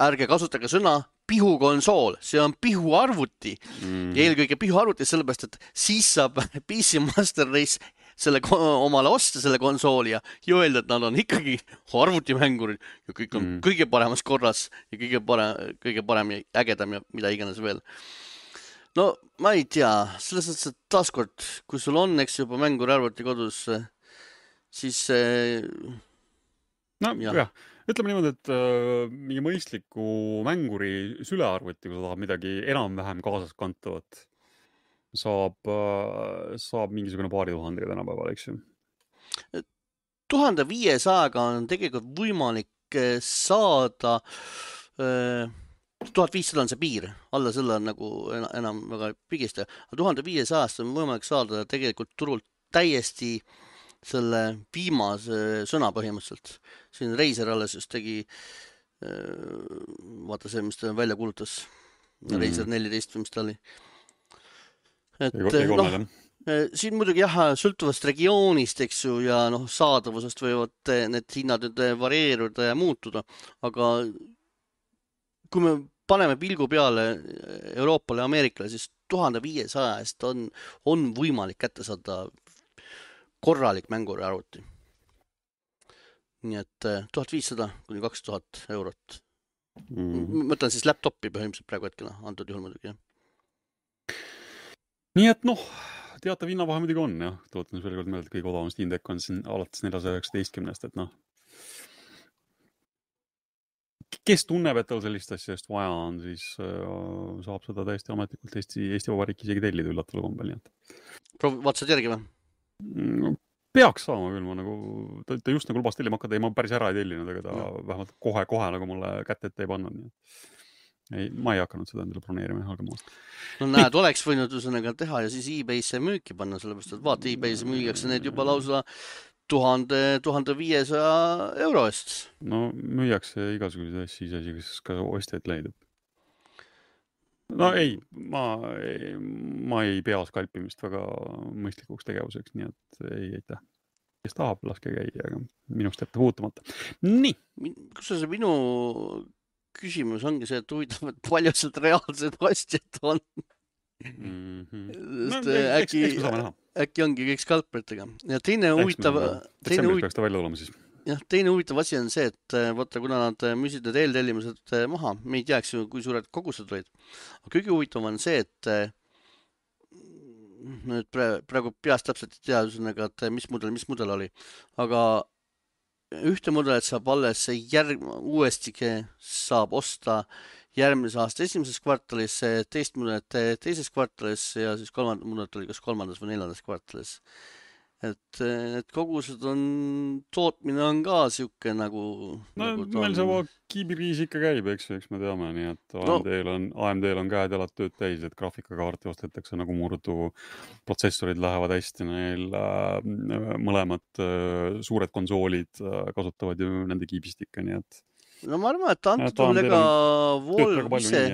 ärge kasutage sõna pihukonsool, see on pihuarvuti mm. ja eelkõige pihuarvuti sellepärast, et siis saab P C Master Race selle omale osta selle konsooli ja öelda, et nad on ikkagi arvutimängurid ja kõik on mm. kõige paremas korras ja kõige parem, kõige parem ja ägedam ja mida iganes veel. No ma ei tea, selles mõttes, et taaskord, kui sul on, eks juba mängur arvuti kodus, siis no jah, jah. Ütleme niimoodi, et äh, mingi mõistliku mänguri sülearvuti, kui sa tahad midagi enam-vähem kaasas kantavat, saab, äh, saab mingisugune paari tuhandega tänapäeval, eks ju? tuhande viiesajaga on tegelikult võimalik saada, äh, tuhat viissada on see piir, alla selle on nagu enam väga pigist, aga tuhande viiesajast on võimalik saada tegelikult turult täiesti selle viimase sõna põhimõtteliselt. Siin Razer alles just tegi, vaata see, mis ta välja kuulutas, mm. Razer neliteist, mis ta oli. Et, no, siin muidugi jah, sõltuvast regioonist, eks ju, ja noh, saadavusest võivad need hinnad nüüd varieeruda ja muutuda, aga kui me paneme pilgu peale Euroopale ja Ameerikale, siis tuhande viiesaja eest on, on võimalik kätte saada korralik mänguri arvuti. Nii et tuhat viissada kuni kaks tuhat eurot. Mm. Mõtlen siis laptopi põhimõtteliselt praegu hetkele, antud juhul muidugi. Nii et noh, teatav hinnavahe muidugi on, jah. Tuletan veel kord meelde, et kõige odavam Steam Deck on siin alates neljasaja üheksateistkümnest, et noh. Kes tunneb, et tal sellist asja just vaja on, siis äh, saab seda täiesti ametlikult Eesti, Eesti Vabariik isegi tellida üllataval kombel, nii et. Proovi, vaatasid järgi või? Peaks saama küll, ma nagu, ta, ta just nagu lubas tellima hakata, ei ma päris ära ei tellinud, aga ta no. vähemalt kohe-kohe nagu mulle kätte ette ei pannud. Ei, ma ei hakanud seda endale broneerima halgama. No näed, nii. Oleks võinud üsõnaga teha ja siis eBay'sse müüki panna, sellepärast, et vaata, eBay'sse müügiakse need juba lausa tuhande, tuhande viiesaja euro eest. No müüakse igasuguseid asju, isegi kas ka ostjaid leidub. No ei, ma, ei, ma ei pea skalpimist väga mõistlikuks tegevuseks, nii et ei, ei tea. Kes tahab, laske käia, aga minust jätta puutumata. Nii! Kus see minu küsimus ongi see, et huvitav, et palju sealt reaalsed ostjad on? Mm-hmm. No, äkki, äkki ongi kõik skalperitega. Ja teine huvitav... Detsembris peaks ta välja olema siis. Jah, teine huvitav asi on see, et vaata, kuna nad müüsid need eeltellimused maha, me ei teaks ju, kui suured kogused olid. Aga kõige huvitav on see, et nüüd praegu peast täpselt ei tea, et mis mudel, mis mudel oli. Aga ühte mudelit saab alles järg, uuesti saab osta järgmise aasta esimeses kvartalis, teist mudelit teises kvartalis ja siis kolmand mudelit oli kas kolmandas või neljandas kvartalis. Et need kogused on, tootmine on ka siuke nagu... No nagu meil sama kiibiriis ikka käib, eks, eks me teame, nii et A M D-l on, A M D-l on käed jalad tööd täis, et graafikakaarti ostetakse nagu murdu, protsessorid lähevad hästi, neil äh, mõlemad äh, suured konsoolid äh, kasutavad ju nende kiibistikke, nii et... No ma arvan, et antud on ega Volv ise,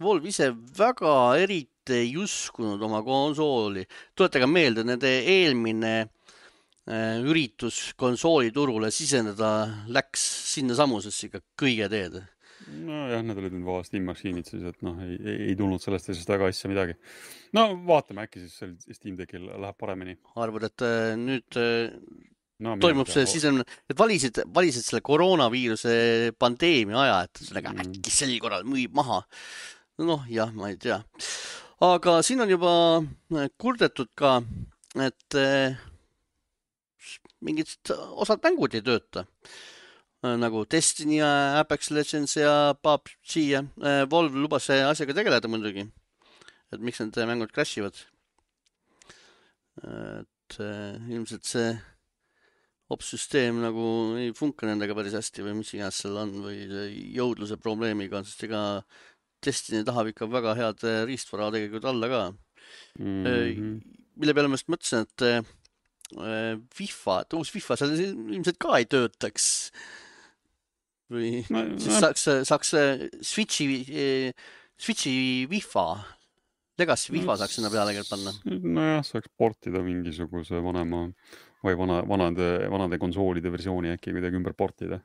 Volv ise väga eriti ei uskunud oma konsooli. Tuletage meelde, nende eelmine äh, üritus konsooliturule sisendada läks sinna samusesse ikka kõige teed. No jah, need olid nüüd vahest Steam-maksiinid siis, et noh, ei, ei, ei tulnud sellest asjast väga asja midagi. No vaatame, äkki siis Steam Deckil läheb paremini. Arvad, et äh, nüüd äh, no, toimub see, siis on, et valisid, valisid selle koroonaviiruse pandeemia aja, et sellega mm. äkki sel korral müüb maha. Noh, jah, ma ei tea. Aga siin on juba kurdetud ka, et mingid osad mängud ei tööta. Nagu Destiny ja Apex Legends ja P U B G ja Valve lubas see asjaga tegeleda muidugi. Et miks need mängud crashivad. Et ilmselt see opsüsteem nagu ei funka nendega päris hästi või mis iganes seal on või jõudluse probleemiga, sest ega Destiny tahab ikka väga head riistvara tegelikult alla ka. Mm-hmm. Mille peale ma just mõtlesin, et FIFA, et uus FIFA seal ilmselt ka ei töötaks. Või no, siis no. saaks, saaks Switchi, Switchi FIFA, Legacy FIFA saaks sinna peale panna. Nojah, saaks portida mingisuguse vanema või vana, vanade, vanade konsoolide versiooni äkki kuidagi ümber portida.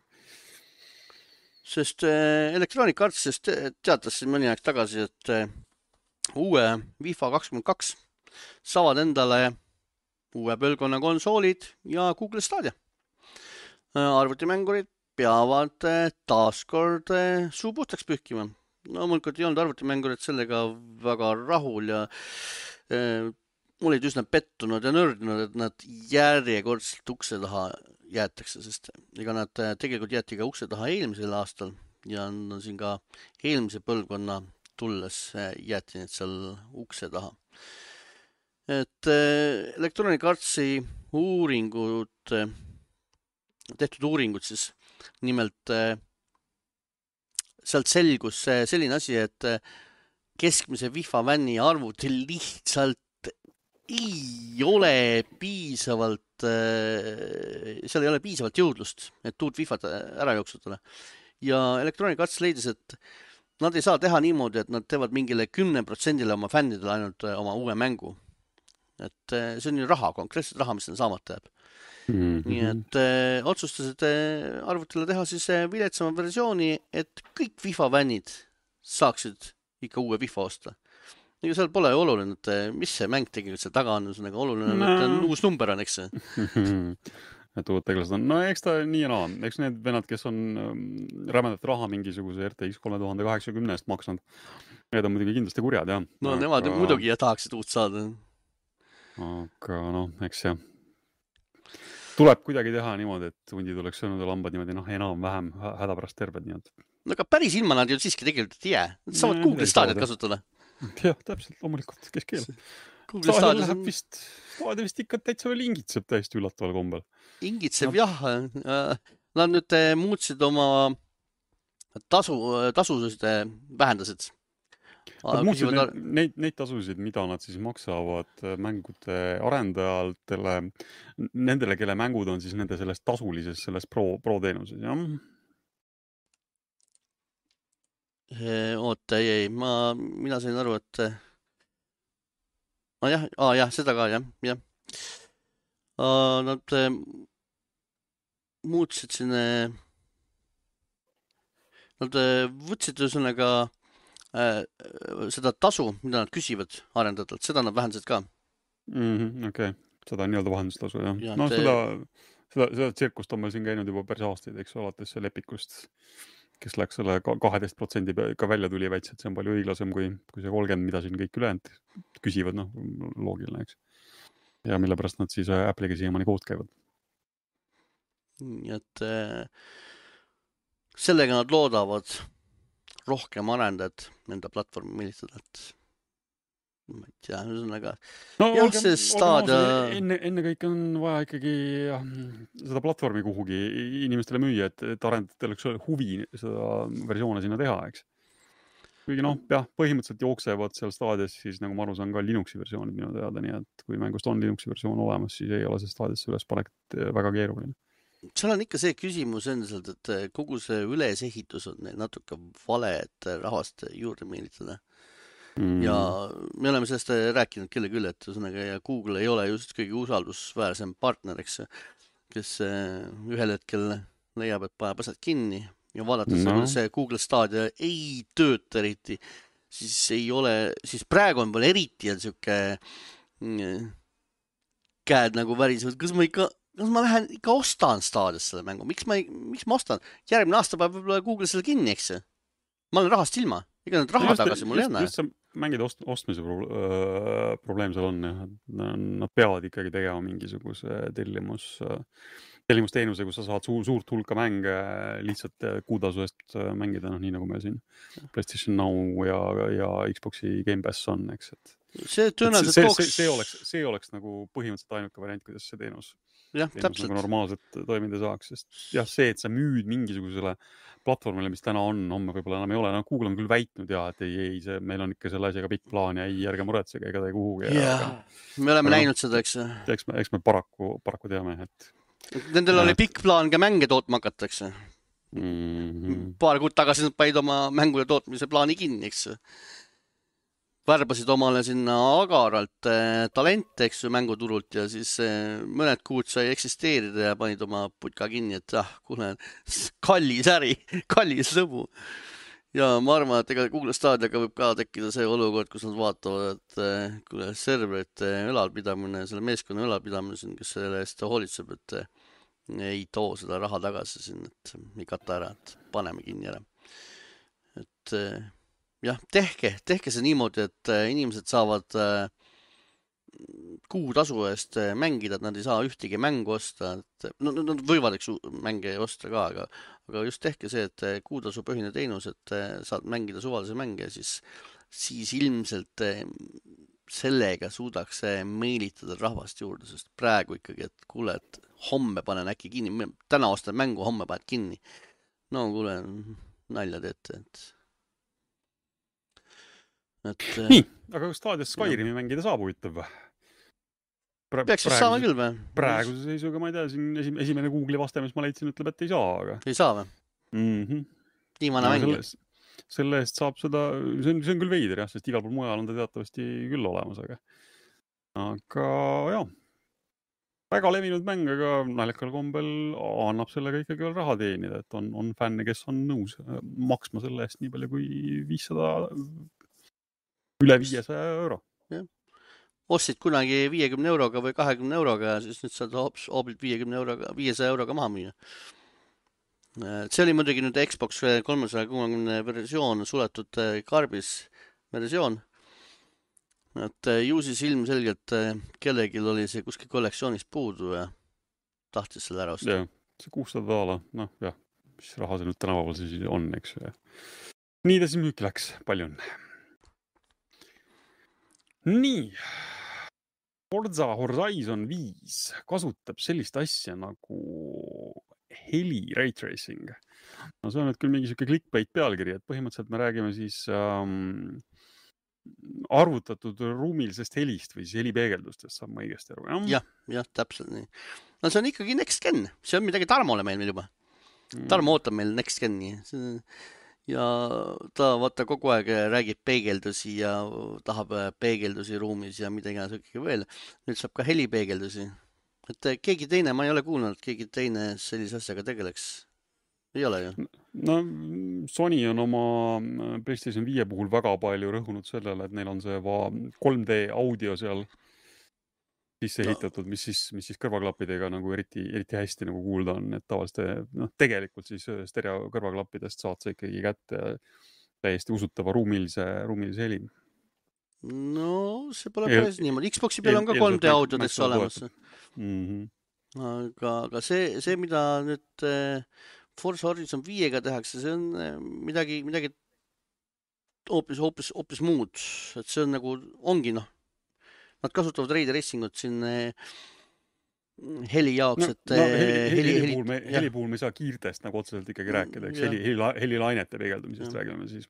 Sest Electronic Arts teatas mõni aeg tagasi, et uue FIFA kakskümmend kaks saavad endale uue põlvkonna konsoolid ja Google Stadia. Arvutimängurid peavad taaskord suu puhtaks pühkima. No mõnikord ei olnud arvutimängurid sellega väga rahul ja äh, olid üsna pettunud ja nördinud, et nad järjekordselt ukse taha jäetakse, sest ega nad tegelikult jäeti ka ukse taha eelmisel aastal ja on siin ka eelmise põlvkonna tulles jäeti need seal ukse taha. Et Electronic Artsi uuringud, tehtud uuringud siis nimelt sealt selgus selline asi, et keskmise FIFA vänni arvutil lihtsalt ei ole piisavalt, seal ei ole piisavalt jõudlust, et uut FIFAt ära jooksutada. Ja Electronic Arts leidis, et nad ei saa teha niimoodi, et nad teevad mingile kümne protsendile oma fännidele ainult oma uue mängu. Et see on ju raha, konkreetselt raha, mis on saamata jääb. Mm-hmm. Nii et äh, otsustasid äh, arvutile teha siis äh, viletsama versiooni, et kõik FIFA vännid saaksid ikka uue FIFA osta. Ega seal pole ju oluline, et mis see mäng tegelikult seal taga on, on oluline, no. et on uus number on, eks see. et uued teglased on, no eks ta nii ja naa, eks need vennad, kes on rämedat raha mingisuguse R T X kolm tuhat kaheksakümmend eest maksnud, need on muidugi kindlasti kurjad, jah. No aga... nemad muidugi ja tahaksid uut saada. Aga noh, eks jah. Tuleb kuidagi teha niimoodi, et hundid oleks söönud ja lambad niimoodi, noh, enam-vähem häda pärast terved nii. No aga päris ilma nad ju siiski tegelikult ei jää. Nad saavad Google Stadiat kasutada. Jah, täpselt, loomulikult, kes keelab. Stadia läheb vist, Stadia vist ikka täitsa veel ingitseb täiesti üllataval kombel. Ingitseb, no. jah. Nad nüüd muutsid oma tasu, tasusid vähendasid. Nad muutsid neid, neid, neid tasusid, mida nad siis maksavad mängude arendajatele, nendele, kelle mängud on siis nende selles tasulises, selles pro, pro teenuses, jah? Oota, ei, ei, ma, mina sain aru, et ah, jah, ah, jah, seda ka, jah, jah. Ah, nad muutsid sinne, nad võtsid ühesõnaga äh, seda tasu, mida nad küsivad arendajatelt, seda nad vähendasid ka. Mm-hmm, okei, okay. Seda on nii-öelda vahendustasu, jah. Ja, no te... seda, seda, seda tsirkust on meil siin käinud juba päris aastaid, eks alates see lepikust, kes läks selle kaheteist protsendi ka välja tuli väitsi, et see on palju õiglasem kui, kui see kolmkümmend, mida siin kõik ülejäänud küsivad, noh, loogiline, eks. Ja mille pärast nad siis Apple'iga siiamaani kood käivad. Nii et äh, sellega nad loodavad rohkem arendajad enda platvormi meelitada, et ma ei tea, ühesõnaga. No, jah, olge, see Stadia... enne, enne kõik on vaja ikkagi jah, seda platvormi kuhugi inimestele müüa, et, et arendajatel oleks huvi seda versioone sinna teha, eks. Kuigi noh, jah, põhimõtteliselt jooksevad seal Stadias, siis nagu ma aru saan ka Linuxi versioonid minu teada, nii et kui mängust on Linuxi versioon olemas, siis ei ole see Stadiasse ülespanek väga keeruline. Seal on ikka see küsimus endiselt, et kogu see ülesehitus on natuke vale, et rahvast juurde meelitada. Mm. Ja me oleme sellest rääkinud kelle küll, et ühesõnaga, ja Google ei ole just kõige usaldusväärsem partner, eks, kes ühel hetkel leiab, et paneb asjad kinni ja vaadates no. see Google Stadia ei tööta eriti, siis ei ole, siis praegu on veel eriti ja siuke käed nagu värisevad, kas ma ikka no ma lähen ikka ostan staadios selle mängu, miks ma, ei, miks ma ostan? Järgmine aasta peab võib-olla Google selle kinni, eks ju? Ma olen rahast ilma, ega nüüd raha just, tagasi mul ei anna. Just see mängide ost, ostmise pro, öö, probleem seal on, jah. Nad peavad ikkagi tegema mingisuguse tellimus, tellimusteenuse, kus sa saad suur, suurt hulka mänge lihtsalt kuutasu eest mängida, noh, nii nagu me siin PlayStation Now ja, ja Xboxi Game Pass on, eks, et see tõenäoliselt see, tooks... See, see, oleks, see oleks nagu põhimõtteliselt ainuke variant, kuidas see teenus, jah, teenus nagu normaalselt toimida saaks, sest jah, see, et sa müüd mingisugusele platvormile, mis täna on, homme võib-olla enam ei ole, no Google on küll väitnud ja, et ei, ei, see, meil on ikka selle asjaga pikk plaan ja ei, ärge muretsege, ega ta ei kuhugi. Jah, me oleme aga, näinud seda, eks. Eks me, eks me paraku, paraku teame, et nendel oli pikk plaan ka mänge tootma hakatakse. Mm-hmm. Paar kuud tagasi nad paid oma mängude tootmise plaani kinni, eks. Värbasid omale sinna agaralt eh, talente, eks ju, mänguturult ja siis eh, mõned kuud sai eksisteerida ja panid oma putka kinni, et ah, kuule, kallis äri, kallis lõbu. Ja ma arvan, et ega Google Stadiaga võib ka tekkida see olukord, kus nad vaatavad, et eh, kuule, serverite ülalpidamine, selle meeskonna ülalpidamine, kes selle eest hoolitseb, et eh, ei too seda raha tagasi siin, et ei kata ära, et paneme kinni ära. Et eh, jah, tehke, tehke see niimoodi, et inimesed saavad kuutasu eest mängida, et nad ei saa ühtegi mängu osta. Et, no, nad võivad eks mänge osta ka, aga, aga just tehke see, et kuutasu põhine teenus, et saad mängida suvalise mänge, siis, siis ilmselt sellega suudaks meelitada rahvast juurde, sest praegu ikkagi, et kuule, et homme panen äkki kinni, täna ostan mängu, homme paned kinni. No kuule, nalja teete, et Et, nii, aga kas Stadios Skyrimi jah. Mängida saab huvitav või? Pra, Peaks siis saama küll või? Praeguse seisuga ma ei tea, siin esimene Google'i vaste, mis ma leidsin, ütleb, et ei saa. Aga... Ei saa või? Mm-hmm. Viimane mäng. Selle, selle eest saab seda, see on, see on küll veider, jah, sest igal pool mujal on ta teatavasti küll olemas, aga, aga jah, väga levinud mäng, aga naljakal kombel annab sellega ikkagi veel raha teenida, et on, on fänne, kes on nõus maksma selle eest nii palju kui viissada üle viiesaja euro. Ja. Ostsid kunagi viiekümne euroga või kahekümne euroga ja siis nüüd saad hoobilt viiekümne euroga, viiesaja euroga maha müüa. See oli muidugi nüüd Xbox kolmesaja kuuekümne versioon, suletud karbis versioon. Et ju siis ilmselgelt kellelgi oli see kuskil kollektsioonist puudu ja tahtis selle ära osta. Ja, see kuussada daala, noh jah, mis raha see nüüd tänapäeval siis on, eks ju. Nii ta siis müüki läks, palju on. Nii, Forza Horizon viis kasutab sellist asja nagu heli ray tracing. No see on nüüd küll mingi siuke clickbait pealkiri, et põhimõtteliselt me räägime siis ähm, arvutatud ruumilisest helist või siis helipeegeldustest, saab ma õigesti aru. Jah, jah, täpselt nii. No see on ikkagi Next Gen, see on midagi Tarmole meil meil juba. Tarmo ootab meil Next Geni. Ja ta vaata kogu aeg räägib peegeldusi ja tahab peegeldusi ruumis ja midagi ikkagi veel. Nüüd saab ka helipeegeldusi. Et keegi teine, ma ei ole kuulnud, et keegi teine sellise asjaga tegeleks. Ei ole ju? No Sony on oma PlayStation viie puhul väga palju rõhunud sellele, et neil on see kolm D audio seal sisse ehitatud, mis siis, mis siis kõrvaklappidega nagu eriti, eriti hästi nagu kuulda on, et tavaliselt no, tegelikult siis stereo kõrvaklappidest saad sa ikkagi kätte täiesti usutava ruumilise, ruumilise heli. No see pole päris niimoodi. Xboxi peal on ka kolm D audiodesse olemas. Mm-hmm. Aga, aga see, see, mida nüüd Forza Horizon viiega tehakse, see on midagi, midagi hoopis, hoopis, hoopis muud. Et see on nagu, ongi noh. Nad kasutavad Ray Tracingut siin heli jaoks, et no, no, heli, heli, heli, puhul me, heli puhul me ei saa kiirtest nagu otseselt ikkagi rääkida, eks heli, heli, helilainete peegeldumisest räägime siis.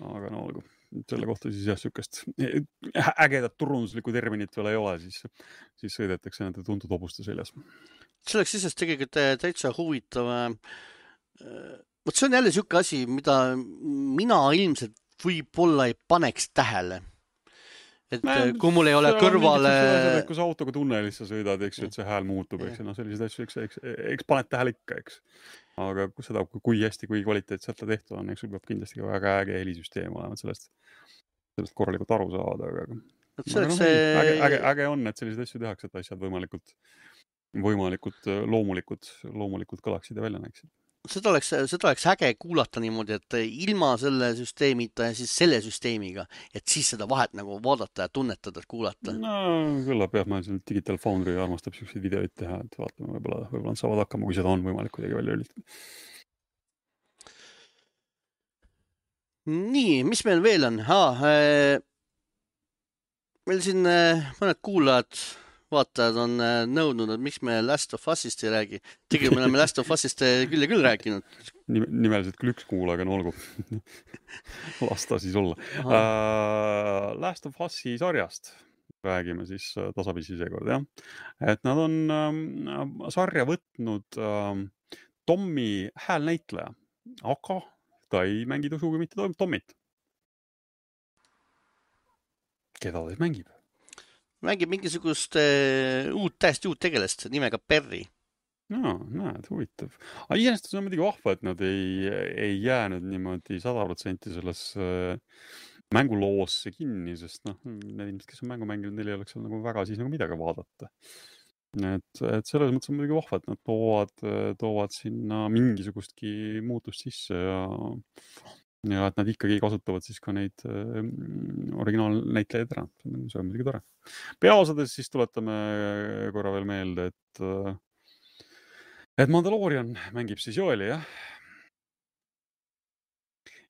Aga no olgu, selle kohta siis jah, sükest ägedat turunduslikku terminit veel ei ole, siis, siis sõidetakse nende tuntud hobuste seljas. See oleks siis tegelikult täitsa huvitav. Võt see on jälle siuke asi, mida mina ilmselt võib-olla ei paneks tähele. Et Mä, kui mul ei ole kõrvale... Asjad, kui sa autoga tunnelis sa sõidad, eks, et see hääl muutub, eks, no sellised asju, eks, eks, eks paned tähele ikka, eks. Aga kui seda, kui hästi, kui kvaliteetselt ta tehtud on, eks sul peab kindlasti ka väga äge helisüsteem olema, sellest, sellest korralikult aru saada. Aga, aga no, see... äge, äge, äge on, et sellised asju tehakse, et asjad võimalikult, võimalikud loomulikud, loomulikud kõlaksid ja välja näeksid. Seda oleks, seda oleks äge kuulata niimoodi, et ilma selle süsteemita ja siis selle süsteemiga, et siis seda vahet nagu vaadata ja tunnetada, et kuulata. No küllap jah, ma siin Digital Foundry armastab selliseid videoid teha, et vaatame, võib-olla, võib-olla nad saavad hakkama, kui seda on võimalik kuidagi välja ülitada. Nii, mis meil veel on? Haa, meil siin mõned kuulajad vaatajad on nõudnud, et miks me Last of Usist ei räägi. Tegelikult me oleme Last of Usist küll ja küll rääkinud. Nimeliselt küll üks kuula, aga no olgu. Lasta siis olla. Uh, Last of Usi sarjast räägime siis tasapisi seekord, jah. Et nad on um, sarja võtnud um, Tommi häälnäitleja, aga ta ei mängi sugugi mitte Tommit. Keda ta mängib? Mängib mingisugust uh, uut, täiesti uut tegelest nimega Perry. No, näed, huvitav. Aga iseenesest on muidugi vahva, et nad ei, ei jäänud niimoodi sada protsenti selles uh, mänguloosse kinni, sest noh, need inimesed, kes on mängu mänginud, neil ei oleks seal nagu väga siis nagu midagi vaadata. Et, et selles mõttes on muidugi vahva, et nad toovad, toovad sinna mingisugustki muutust sisse ja ja et nad ikkagi kasutavad siis ka neid äh, originaalnäitlejaid ära. See on muidugi tore. Peaosades siis tuletame korra veel meelde, et, et Mandalorian mängib siis Joeli, jah.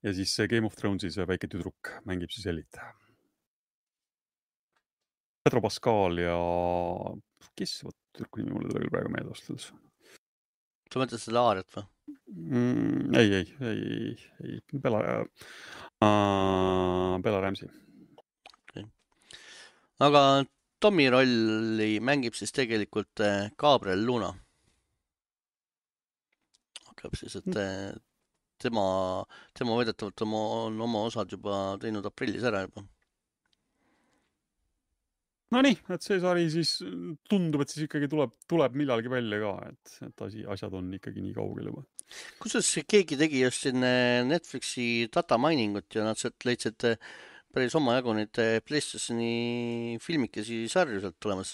Ja siis Game of Thronesis väike tüdruk mängib siis Elit. Pedro Pascal ja kes võt tüdruku nimi mulle tuli praegu meelde vastades? Sa mõtled seda Aariat või? Mm, ei, ei, ei, ei, Bella, uh, Bella Ramsey. Okay. Aga Tommi rolli mängib siis tegelikult Gabriel Luna. Hakkab siis, et tema, tema vedetavalt on oma osad juba teinud aprillis ära juba. No nii, et see sari siis tundub, et siis ikkagi tuleb, tuleb millalgi välja ka, et, et asi, asjad on ikkagi nii kaugel juba. Kuidas keegi tegi just siin Netflixi data miningut ja nad sealt leidsid päris omajagu neid PlayStationi filmikesi sarju sealt tulemas?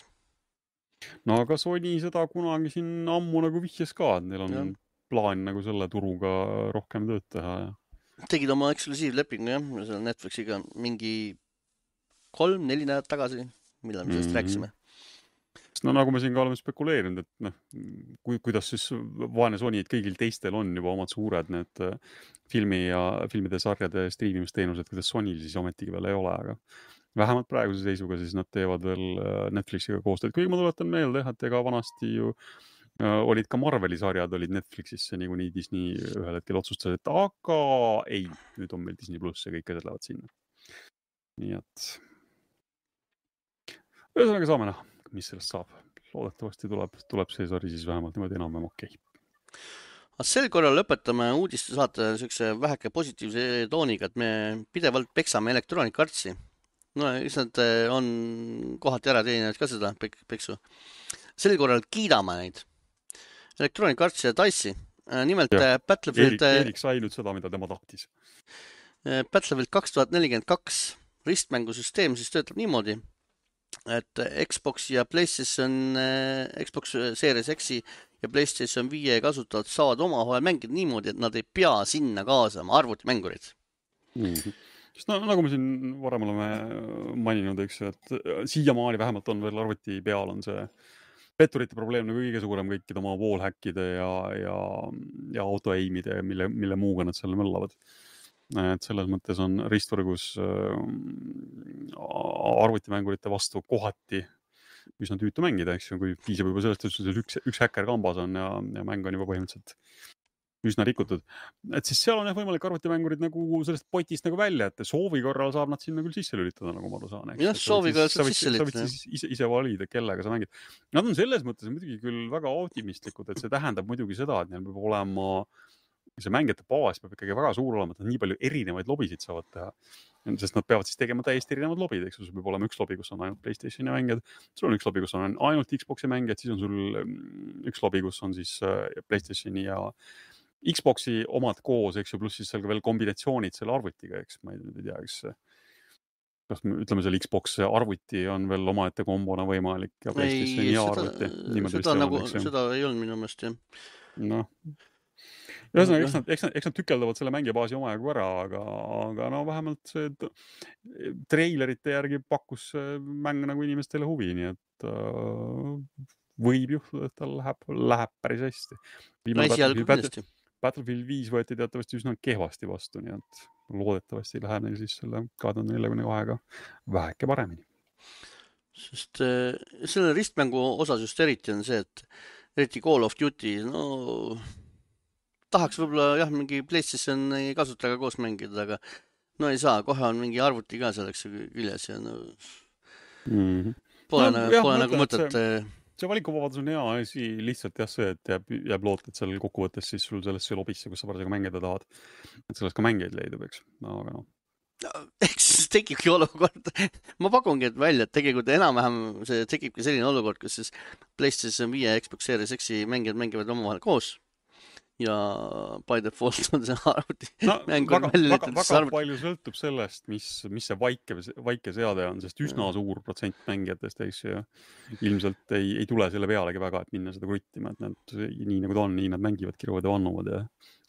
No aga Sony seda kunagi siin ammu nagu vihjas ka, et neil on ja. plaan nagu selle turuga rohkem tööd teha. Ja. Tegid oma eksklusiivlepingu jah, selle Netflixiga mingi kolm, neli nädalat tagasi. Millal me sellest mm-hmm. rääkisime? No nagu me siin ka oleme spekuleerinud, et noh, kui, kuidas siis vaene Sony, et kõigil teistel on juba omad suured need filmi ja filmide sarjade striimimisteenused, kuidas Sonyl siis ometigi veel ei ole, aga vähemalt praeguse seisuga siis nad teevad veel Netflixiga koostööd. Kuigi ma tuletan meelde, et ega vanasti ju olid ka Marveli sarjad olid Netflixisse, nii kuni Disney ühel hetkel otsustas, et aga ei, nüüd on meil Disney pluss ja kõik asjad lähevad sinna. Nii et ühesõnaga saame näha, mis sellest saab. Loodetavasti tuleb, tuleb see sari siis vähemalt niimoodi enam-vähem okei. Okay. Sel korral lõpetame uudiste saate sellise väheke positiivse tooniga, et me pidevalt peksame Electronic Artsi. No, eks nad on kohati ära teeninud ka seda peksu. Sel korral kiidame neid. Electronic Artsi ja Dice'i. Nimelt ja, Battlefield... Erik, Erik sai nüüd seda, mida tema tahtis. Battlefield kaks tuhat nelikümmend kaks ristmängusüsteem siis töötab niimoodi, et Xbox ja PlayStation, Xbox Series X ja PlayStation viie kasutajad saavad omavahel mängida niimoodi, et nad ei pea sinna kaasama arvutimängurid. Mm-hmm. Sest no, nagu me siin varem oleme maininud, eks, et siiamaani vähemalt on veel arvuti peal on see petturite probleem nagu kõige suurem kõikide oma wallhackide ja, ja, ja auto-aimide, mille, mille muuga nad seal möllavad. Et selles mõttes on ristvõrgus äh, arvutimängurite vastu kohati üsna tüütu mängida, eks ju, kui piisab juba sellest, et üks, üks häkker kambas on ja, ja mäng on juba põhimõtteliselt üsna rikutud. Et siis seal on jah võimalik arvutimängurid nagu sellest potist nagu välja, et soovi korral saab nad sinna küll sisse lülitada, nagu ma aru saan. Jah, soovi korral saab sisse lülitada. Sa võid ise, ise valida, kellega sa mängid. Nad on selles mõttes muidugi küll väga optimistlikud, et see tähendab muidugi seda, et neil peab olema see mängijate baas peab ikkagi väga suur olema, et nad nii palju erinevaid lobisid saavad teha. Sest nad peavad siis tegema täiesti erinevad lobid, eks sul peab olema üks lobi, kus on ainult PlayStationi mängijad, sul on üks lobi, kus on ainult Xboxi mängijad, siis on sul üks lobi, kus on siis PlayStationi ja Xboxi omad koos, eks ju, pluss siis seal ka veel kombinatsioonid selle arvutiga, eks ma ei tea, eks kas me ütleme seal Xbox arvuti on veel omaette kombona võimalik ja PlayStationi ja arvuti. Seda, seda, nagu, seda ei olnud minu meelest, jah. Noh. Ühesõnaga, eks nad, eks nad, eks nad tükeldavad selle mängija baasi omajagu ära, aga, aga no vähemalt see treilerite järgi pakkus mäng nagu inimestele huvi, nii et uh, võib juhtuda, et tal läheb, läheb päris hästi. Battlefield, Battlefield viis võeti teatavasti üsna kehvasti vastu, nii et loodetavasti läheb neil siis selle kahe tuhande neljakümne kahega väheke paremini. Sest äh, selle ristmängu osas just eriti on see, et eriti Call of Duty, no tahaks võib-olla jah, mingi PlayStation kasutajaga koos mängida, aga no ei saa, kohe on mingi arvuti ka selleks küljes ja no mm-hmm. pole, no, nagu, jah, pole nagu mõtet. See, see valikuvabadus on hea asi, lihtsalt jah see, et jääb, jääb loot, et seal kokkuvõttes siis sul sellesse lobisse, kus sa parasjagu mängida tahad, et sellest ka mängeid leidub, eks, no, aga noh. No, eks tekibki olukord, ma pakungi et välja, et tegelikult enam-vähem see tekibki selline olukord, kus siis PlayStation viie ja Xbox Series X-i mängijad mängivad omavahel koos ja by default on see arvuti no, mäng väga, väga, väga palju sõltub sellest, mis, mis see vaike, vaike seade on, sest üsna ja. Suur protsent mängijatest ja ilmselt ei, ei tule selle pealegi väga, et minna seda kruttima, et nad nii nagu ta on, nii nad mängivad, kiruvad ja vannuvad ja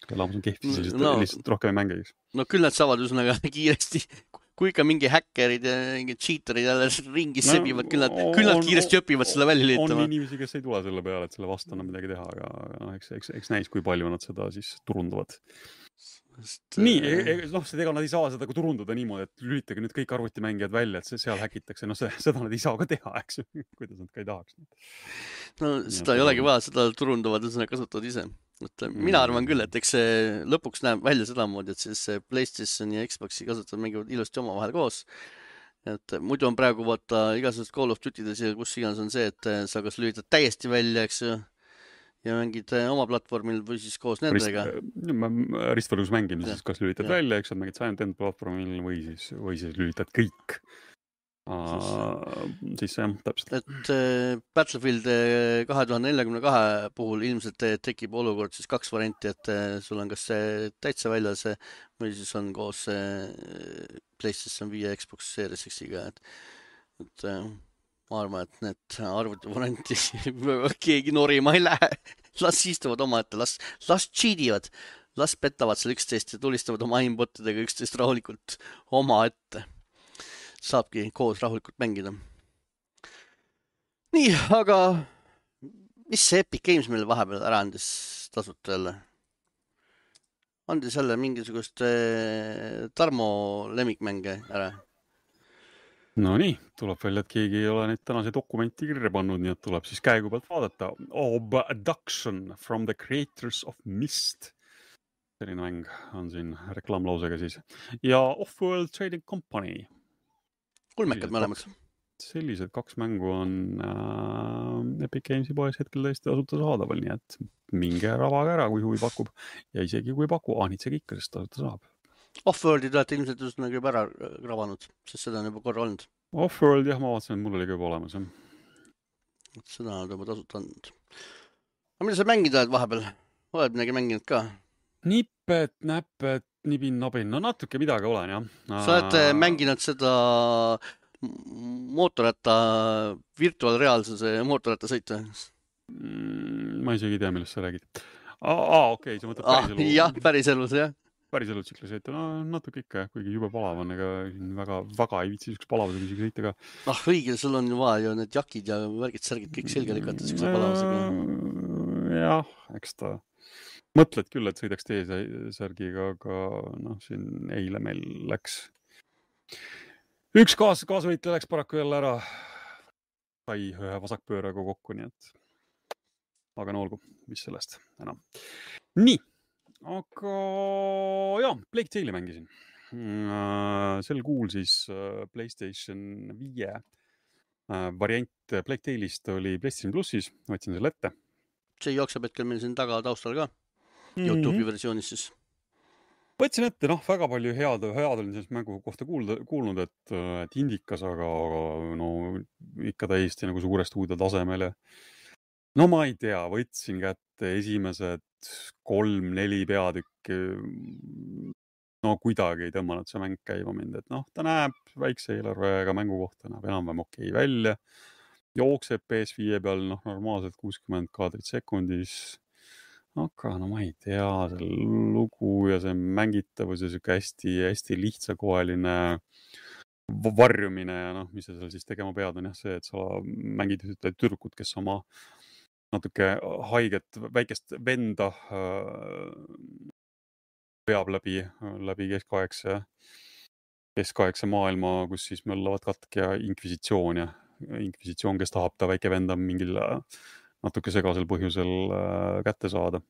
elamus on kehti, siis no, lihtsalt rohkem ei mängiks. No küll nad saavad üsnaga kiiresti, kui ikka mingi häkkerid ja mingi cheaterid jälle ringi no, sebivad, küll nad, on, küll nad kiiresti õpivad selle välja liitama. On inimesi, kes ei tule selle peale, et selle vastu on midagi teha, aga no, eks, eks, eks näis, kui palju nad seda siis turundavad. Sest, nii, noh, ega nad ei saa seda turundada niimoodi, et lülitage nüüd kõik arvutimängijad välja, et seal häkitakse, no see, seda nad ei saa ka teha, eks, kuidas nad ka ei tahaks. No seda ja, ei olegi vaja, seda turundavad, seda kasutavad ise. Et mina arvan küll, et eks see lõpuks näeb välja seda moodi, et siis PlayStation ja Xboxi kasutavad mängivad ilusti omavahel koos. Et muidu on praegu vaata igasugust Call of Duty'des ja kus iganes on see, et sa kas lülitad täiesti välja, eks ju, ja mängid oma platvormil või siis koos nendega. Rist, ristvõrgus mängimises, kas lülitad ja. Välja, eks sa mängid Silent End platvormil või siis, või siis lülitad kõik. Siis, siis jah, täpselt. Et äh, Battlefield kahe tuhande neljakümne kahe puhul ilmselt tekib olukord siis kaks varianti, et äh, sul on kas see täitsa väljas või siis on koos äh, PlayStation viie Xbox Series X-iga, et, et äh, ma arvan, et need arvuti varianti keegi norima ei lähe. Las istuvad oma ette, las, las cheativad, las petavad seal üksteist ja tulistavad oma aimbotidega üksteist rahulikult oma ette. Saabki koos rahulikult mängida. Nii, aga mis see Epic Games meile vahepeal ära andis tasuta jälle? Andis jälle mingisugust eh, Tarmo lemmikmänge ära? No nii, tuleb välja, et keegi ei ole neid tänase dokumenti kirja pannud, nii et tuleb siis käigu pealt vaadata. Abduction from the creators of Myst. Selline mäng on siin reklaamlausega siis. Ja Offworld Trading Company. Kulmekad mõlemad. Sellised kaks mängu on äh, Epic Gamesi poes hetkel täiesti tasuta saadaval, nii et minge ravaga ära, kui huvi pakub. Ja isegi kui paku, aanitsegi ikka, sest tasuta saab. Offworldi te olete ilmselt just nagu juba ära ravanud, sest seda on juba korra olnud. Offworld, jah, ma vaatasin, et mul oli ka juba olemas. Ja. Seda on juba tasuta olnud. Aga mida sa mängida oled vahepeal? Oled midagi mänginud ka? Nipet, näpet, nibin, nabin. No natuke midagi olen, jah. Sa oled äh... mänginud seda mootorratta, virtuaalreaalsuse mootorratta sõita? Mm, ma isegi ei tea, millest sa räägid. Aa, okei, okay, sa mõtled päriselus. Ah, jah, päriselus, jah. Päriselus tsikli sõita, no natuke ikka, kuigi jube palav on, ega väga, väga ei viitsi üks palavusega isegi sõita ka. Ah, õige, sul on ju vaja ju need jakid ja värgid, särgid kõik selge lükata siukse palavusega. Jah, eks ta mõtled küll, et sõidaks T-särgiga, aga noh, siin eile meil läks üks kaas, kaasvõitja läks paraku jälle ära. Sai ühe vasakpööraga kokku, nii et aga no olgu, mis sellest enam. Nii, aga jah, Plague Tale'i mängisin. Sel kuul siis PlayStation viie variant Plague Tale'ist oli PlayStation Plussis, võtsin selle ette. See jookseb hetkel meil siin taga taustal ka. YouTube'i mm-hmm. versioonis siis. Võtsin ette, noh, väga palju head, head olin sellest mängu kohta kuulda, kuulnud, et, et indikas, aga, aga no ikka täiesti nagu suurest uude tasemele. No ma ei tea, võtsin kätte esimesed kolm, neli peatükki. no kuidagi ei tõmmanud see mäng käima mind, et noh, ta näeb väikse eelarvega mängu kohta, näeb enam-vähem okei välja, jookseb P S viie peal, noh, normaalselt kuuskümmend kaadrit sekundis, aga no ma ei tea, see lugu ja see mängitavus ja siuke hästi, hästi lihtsakoeline varjumine ja noh, mis sa seal siis tegema pead, on jah see, et sa mängid ühte tüdrukut, kes oma natuke haiget väikest venda peab läbi, läbi keskaegse, keskaegse maailma, kus siis möllavad katk ja inkvisitsioon ja inkvisitsioon, kes tahab ta väike venda mingil natuke segasel põhjusel kätte saada.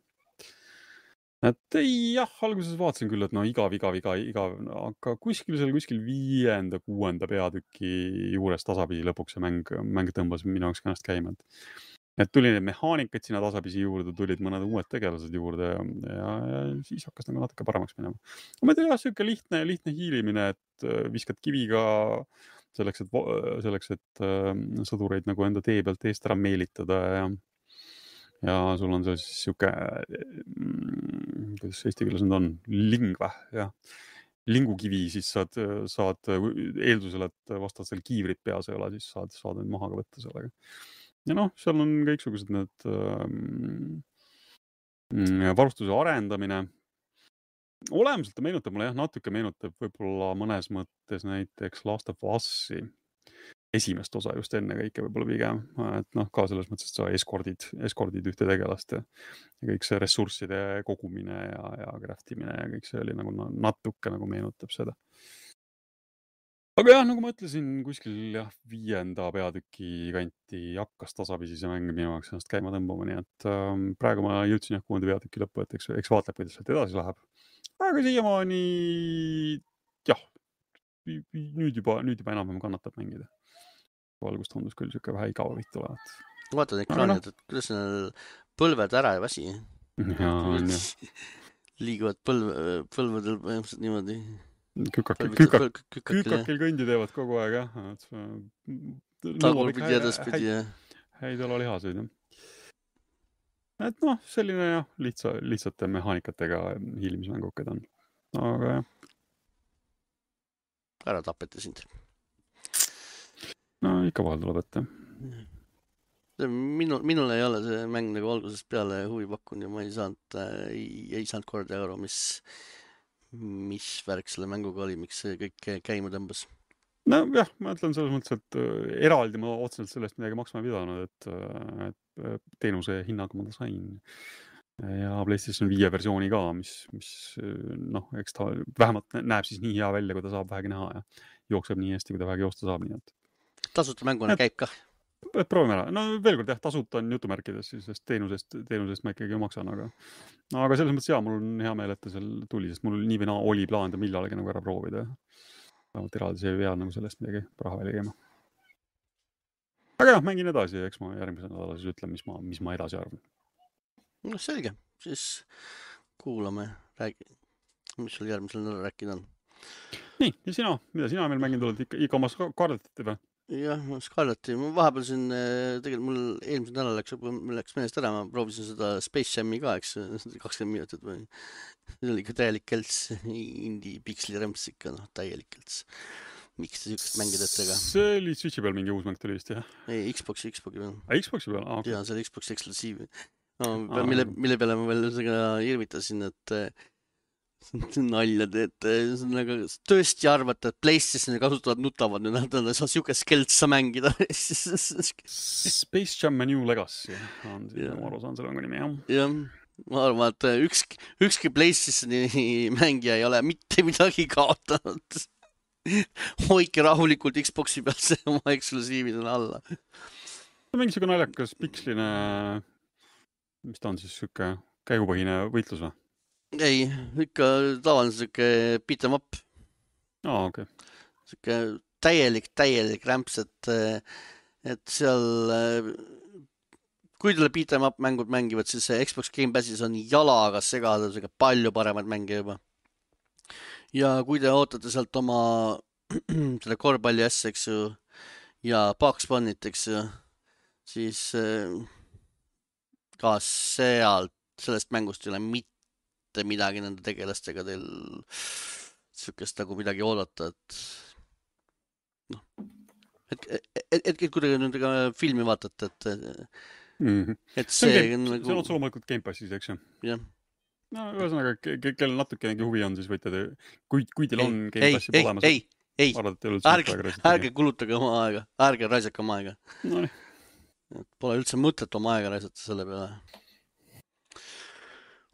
Et ei, jah, alguses vaatasin küll, et no igav, igav, igav, igav, aga kuskil seal kuskil viienda, kuuenda peatüki juures tasapisi lõpuks see mäng, mäng tõmbas minu jaoks kannast käima. Et tuli need mehaanikaid sinna tasapisi juurde, tulid mõned uued tegelased juurde ja, ja siis hakkas nagu natuke paremaks minema. Ma ei tea, jah, siuke lihtne, lihtne hiilimine, et viskad kiviga selleks, et, selleks, et sõdureid nagu enda tee pealt eest ära meelitada ja ja sul on see siis siuke, kuidas eesti keeles nüüd on, lingvä, jah. Lingukivi siis saad, saad eeldusel, et vastasel kiivrit peas ei ole, siis saad, saad need maha ka võtta sellega. Ja noh, seal on kõiksugused need ähm, varustuse arendamine. Olemuselt ta meenutab mulle, jah, natuke meenutab võib-olla mõnes mõttes näiteks Last of Us'i esimest osa just enne kõike võib-olla pigem, et noh, ka selles mõttes, et sa eskordid, eskordid ühte tegelast ja kõik see ressursside kogumine ja, ja craftimine ja kõik see oli nagu natuke nagu meenutab seda. Aga jah, nagu ma ütlesin, kuskil jah, viienda peatüki kanti hakkas tasapisi see mäng minu jaoks ennast käima tõmbama, nii et ähm, praegu ma jõudsin jah kuuenda peatüki lõppu, et eks, eks vaatab, kuidas sealt edasi läheb. Aga siiamaani jah, nüüd juba, nüüd juba enam-vähem kannatab mängida. Valgus tundus küll siuke vähe igav vitt olevat. Vaatad ekraanid, et kuidas need põlved ära ei väsi. Ja, on jah. Liiguvad põlv, põlvedel põhimõtteliselt niimoodi. Kükakil, kükak, kükakil kõndi teevad kogu aeg, jah. Tagurpidi edaspidi, jah. Häid ala lihaseid, jah. Et noh, selline jah, lihtsa, lihtsate mehaanikatega hiilimismängukad on. Aga jah. Ära tapete sind. No ikka vahel tuleb ette. Minu, minul ei ole see mäng nagu algusest peale huvi pakkunud ja ma ei saanud, ei, ei saanud korda euro, mis, mis värk selle mänguga oli, miks see kõik käima tõmbas. No jah, ma ütlen selles mõttes, et eraldi ma otseselt sellest midagi maksma ei pidanud, et, et teenuse hinnaga ma ta sain. Ja PlayStation viie versiooni ka, mis, mis noh, eks ta vähemalt näeb siis nii hea välja, kui ta saab vähegi näha ja jookseb nii hästi, kui ta vähegi joosta saab, nii et tasuta mänguna käib kah. Et proovime ära. No veel kord jah, tasuta on jutumärkides, sest teenusest, teenusest ma ikkagi maksan, aga, aga selles mõttes jah, mul on hea meel, et ta seal tuli, sest mul nii või naa oli plaan ta millalegi nagu ära proovida. Vähemalt eraldi see ei pea nagu sellest midagi raha välja käima. Aga jah, mängin edasi ja eks ma järgmise nädala siis ütlen, mis ma, mis ma edasi arvan. No selge, siis kuulame, räägi, mis sul järgmisel nädal rääkida on. Nii, ja sina, mida sina meil mängin tuled ikka, ikka oma Scarletti või? Jah, Scarletti. Ma vahepeal siin, tegelikult mul eelmisel nädal läks, läks menest ära, ma proovisin seda Space Jam'i ka, eks, kakskümmend minutit või. See oli ikka täielik kelts, indie piksli remps ikka, noh, täielik kelts. Miks te sükest mängid ettega? See oli Switchi peal mingi uus mäng tuli vist, jah? Ei, Xboxi, Xboxi peal. A, Xboxi peal? Ah, okay. Jaa, see oli Xboxi eksklusiiv. No, ah, mille, mille peale ma veel seda irvitasin, et nalja teed, nagu tõesti arvata, et PlayStationi kasutavad nutavad, nüüd nad saa siukest keltsa mängida. Space Jam New Legacy on siis oma aru saan selle mängu nimi, jah. Jah, ma arvan, et ükski, ükski PlayStationi mängija ei ole mitte midagi kaotanud. Hoike rahulikult Xboxi peal see oma eksklusiividena alla. Mingi siuke naljakas piksline, mis ta on siis siuke käigupõhine võitlus või? Ei, ikka tavaline siuke beat 'em up. Aa, okei. Okay. Siuke täielik, täielik rämps, et, et seal, kui teile beat 'em up mängud mängivad, siis Xbox Game Passis on jalaga segada siuke palju paremad mänge juba. Ja kui te ootate sealt oma selle korvpalli asja, eks ju, ja Bugs Bunnit, eks ju, siis ka sealt, sellest mängust ei ole mitte midagi nende tegelastega teil sükest nagu midagi oodata, et noh, et, et, et, et kuidagi nüüd filmi vaatate, et mm -hmm. et see, see on, nagu... see on otse loomulikult Game Passis, eks ju? jah. No ühesõnaga, kellel natukenegi huvi on, siis võite te, kui, kui teil on ei, Game Passi ei, olemas, ei, ei, ärge, ärge kulutage oma aega, ärge raisake oma aega. No nii. Pole üldse mõtet oma aega raisata selle peale.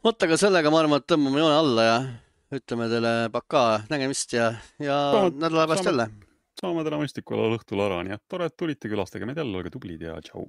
Vot, aga sellega ma arvan, et tõmbame joone alla ja ütleme teile pakaa, nägemist ja, ja nädala pärast jälle. Saame täna mõistikulla õhtul ära, nii et tore, et tulite, külastage meid jälle, olge tublid ja tšau.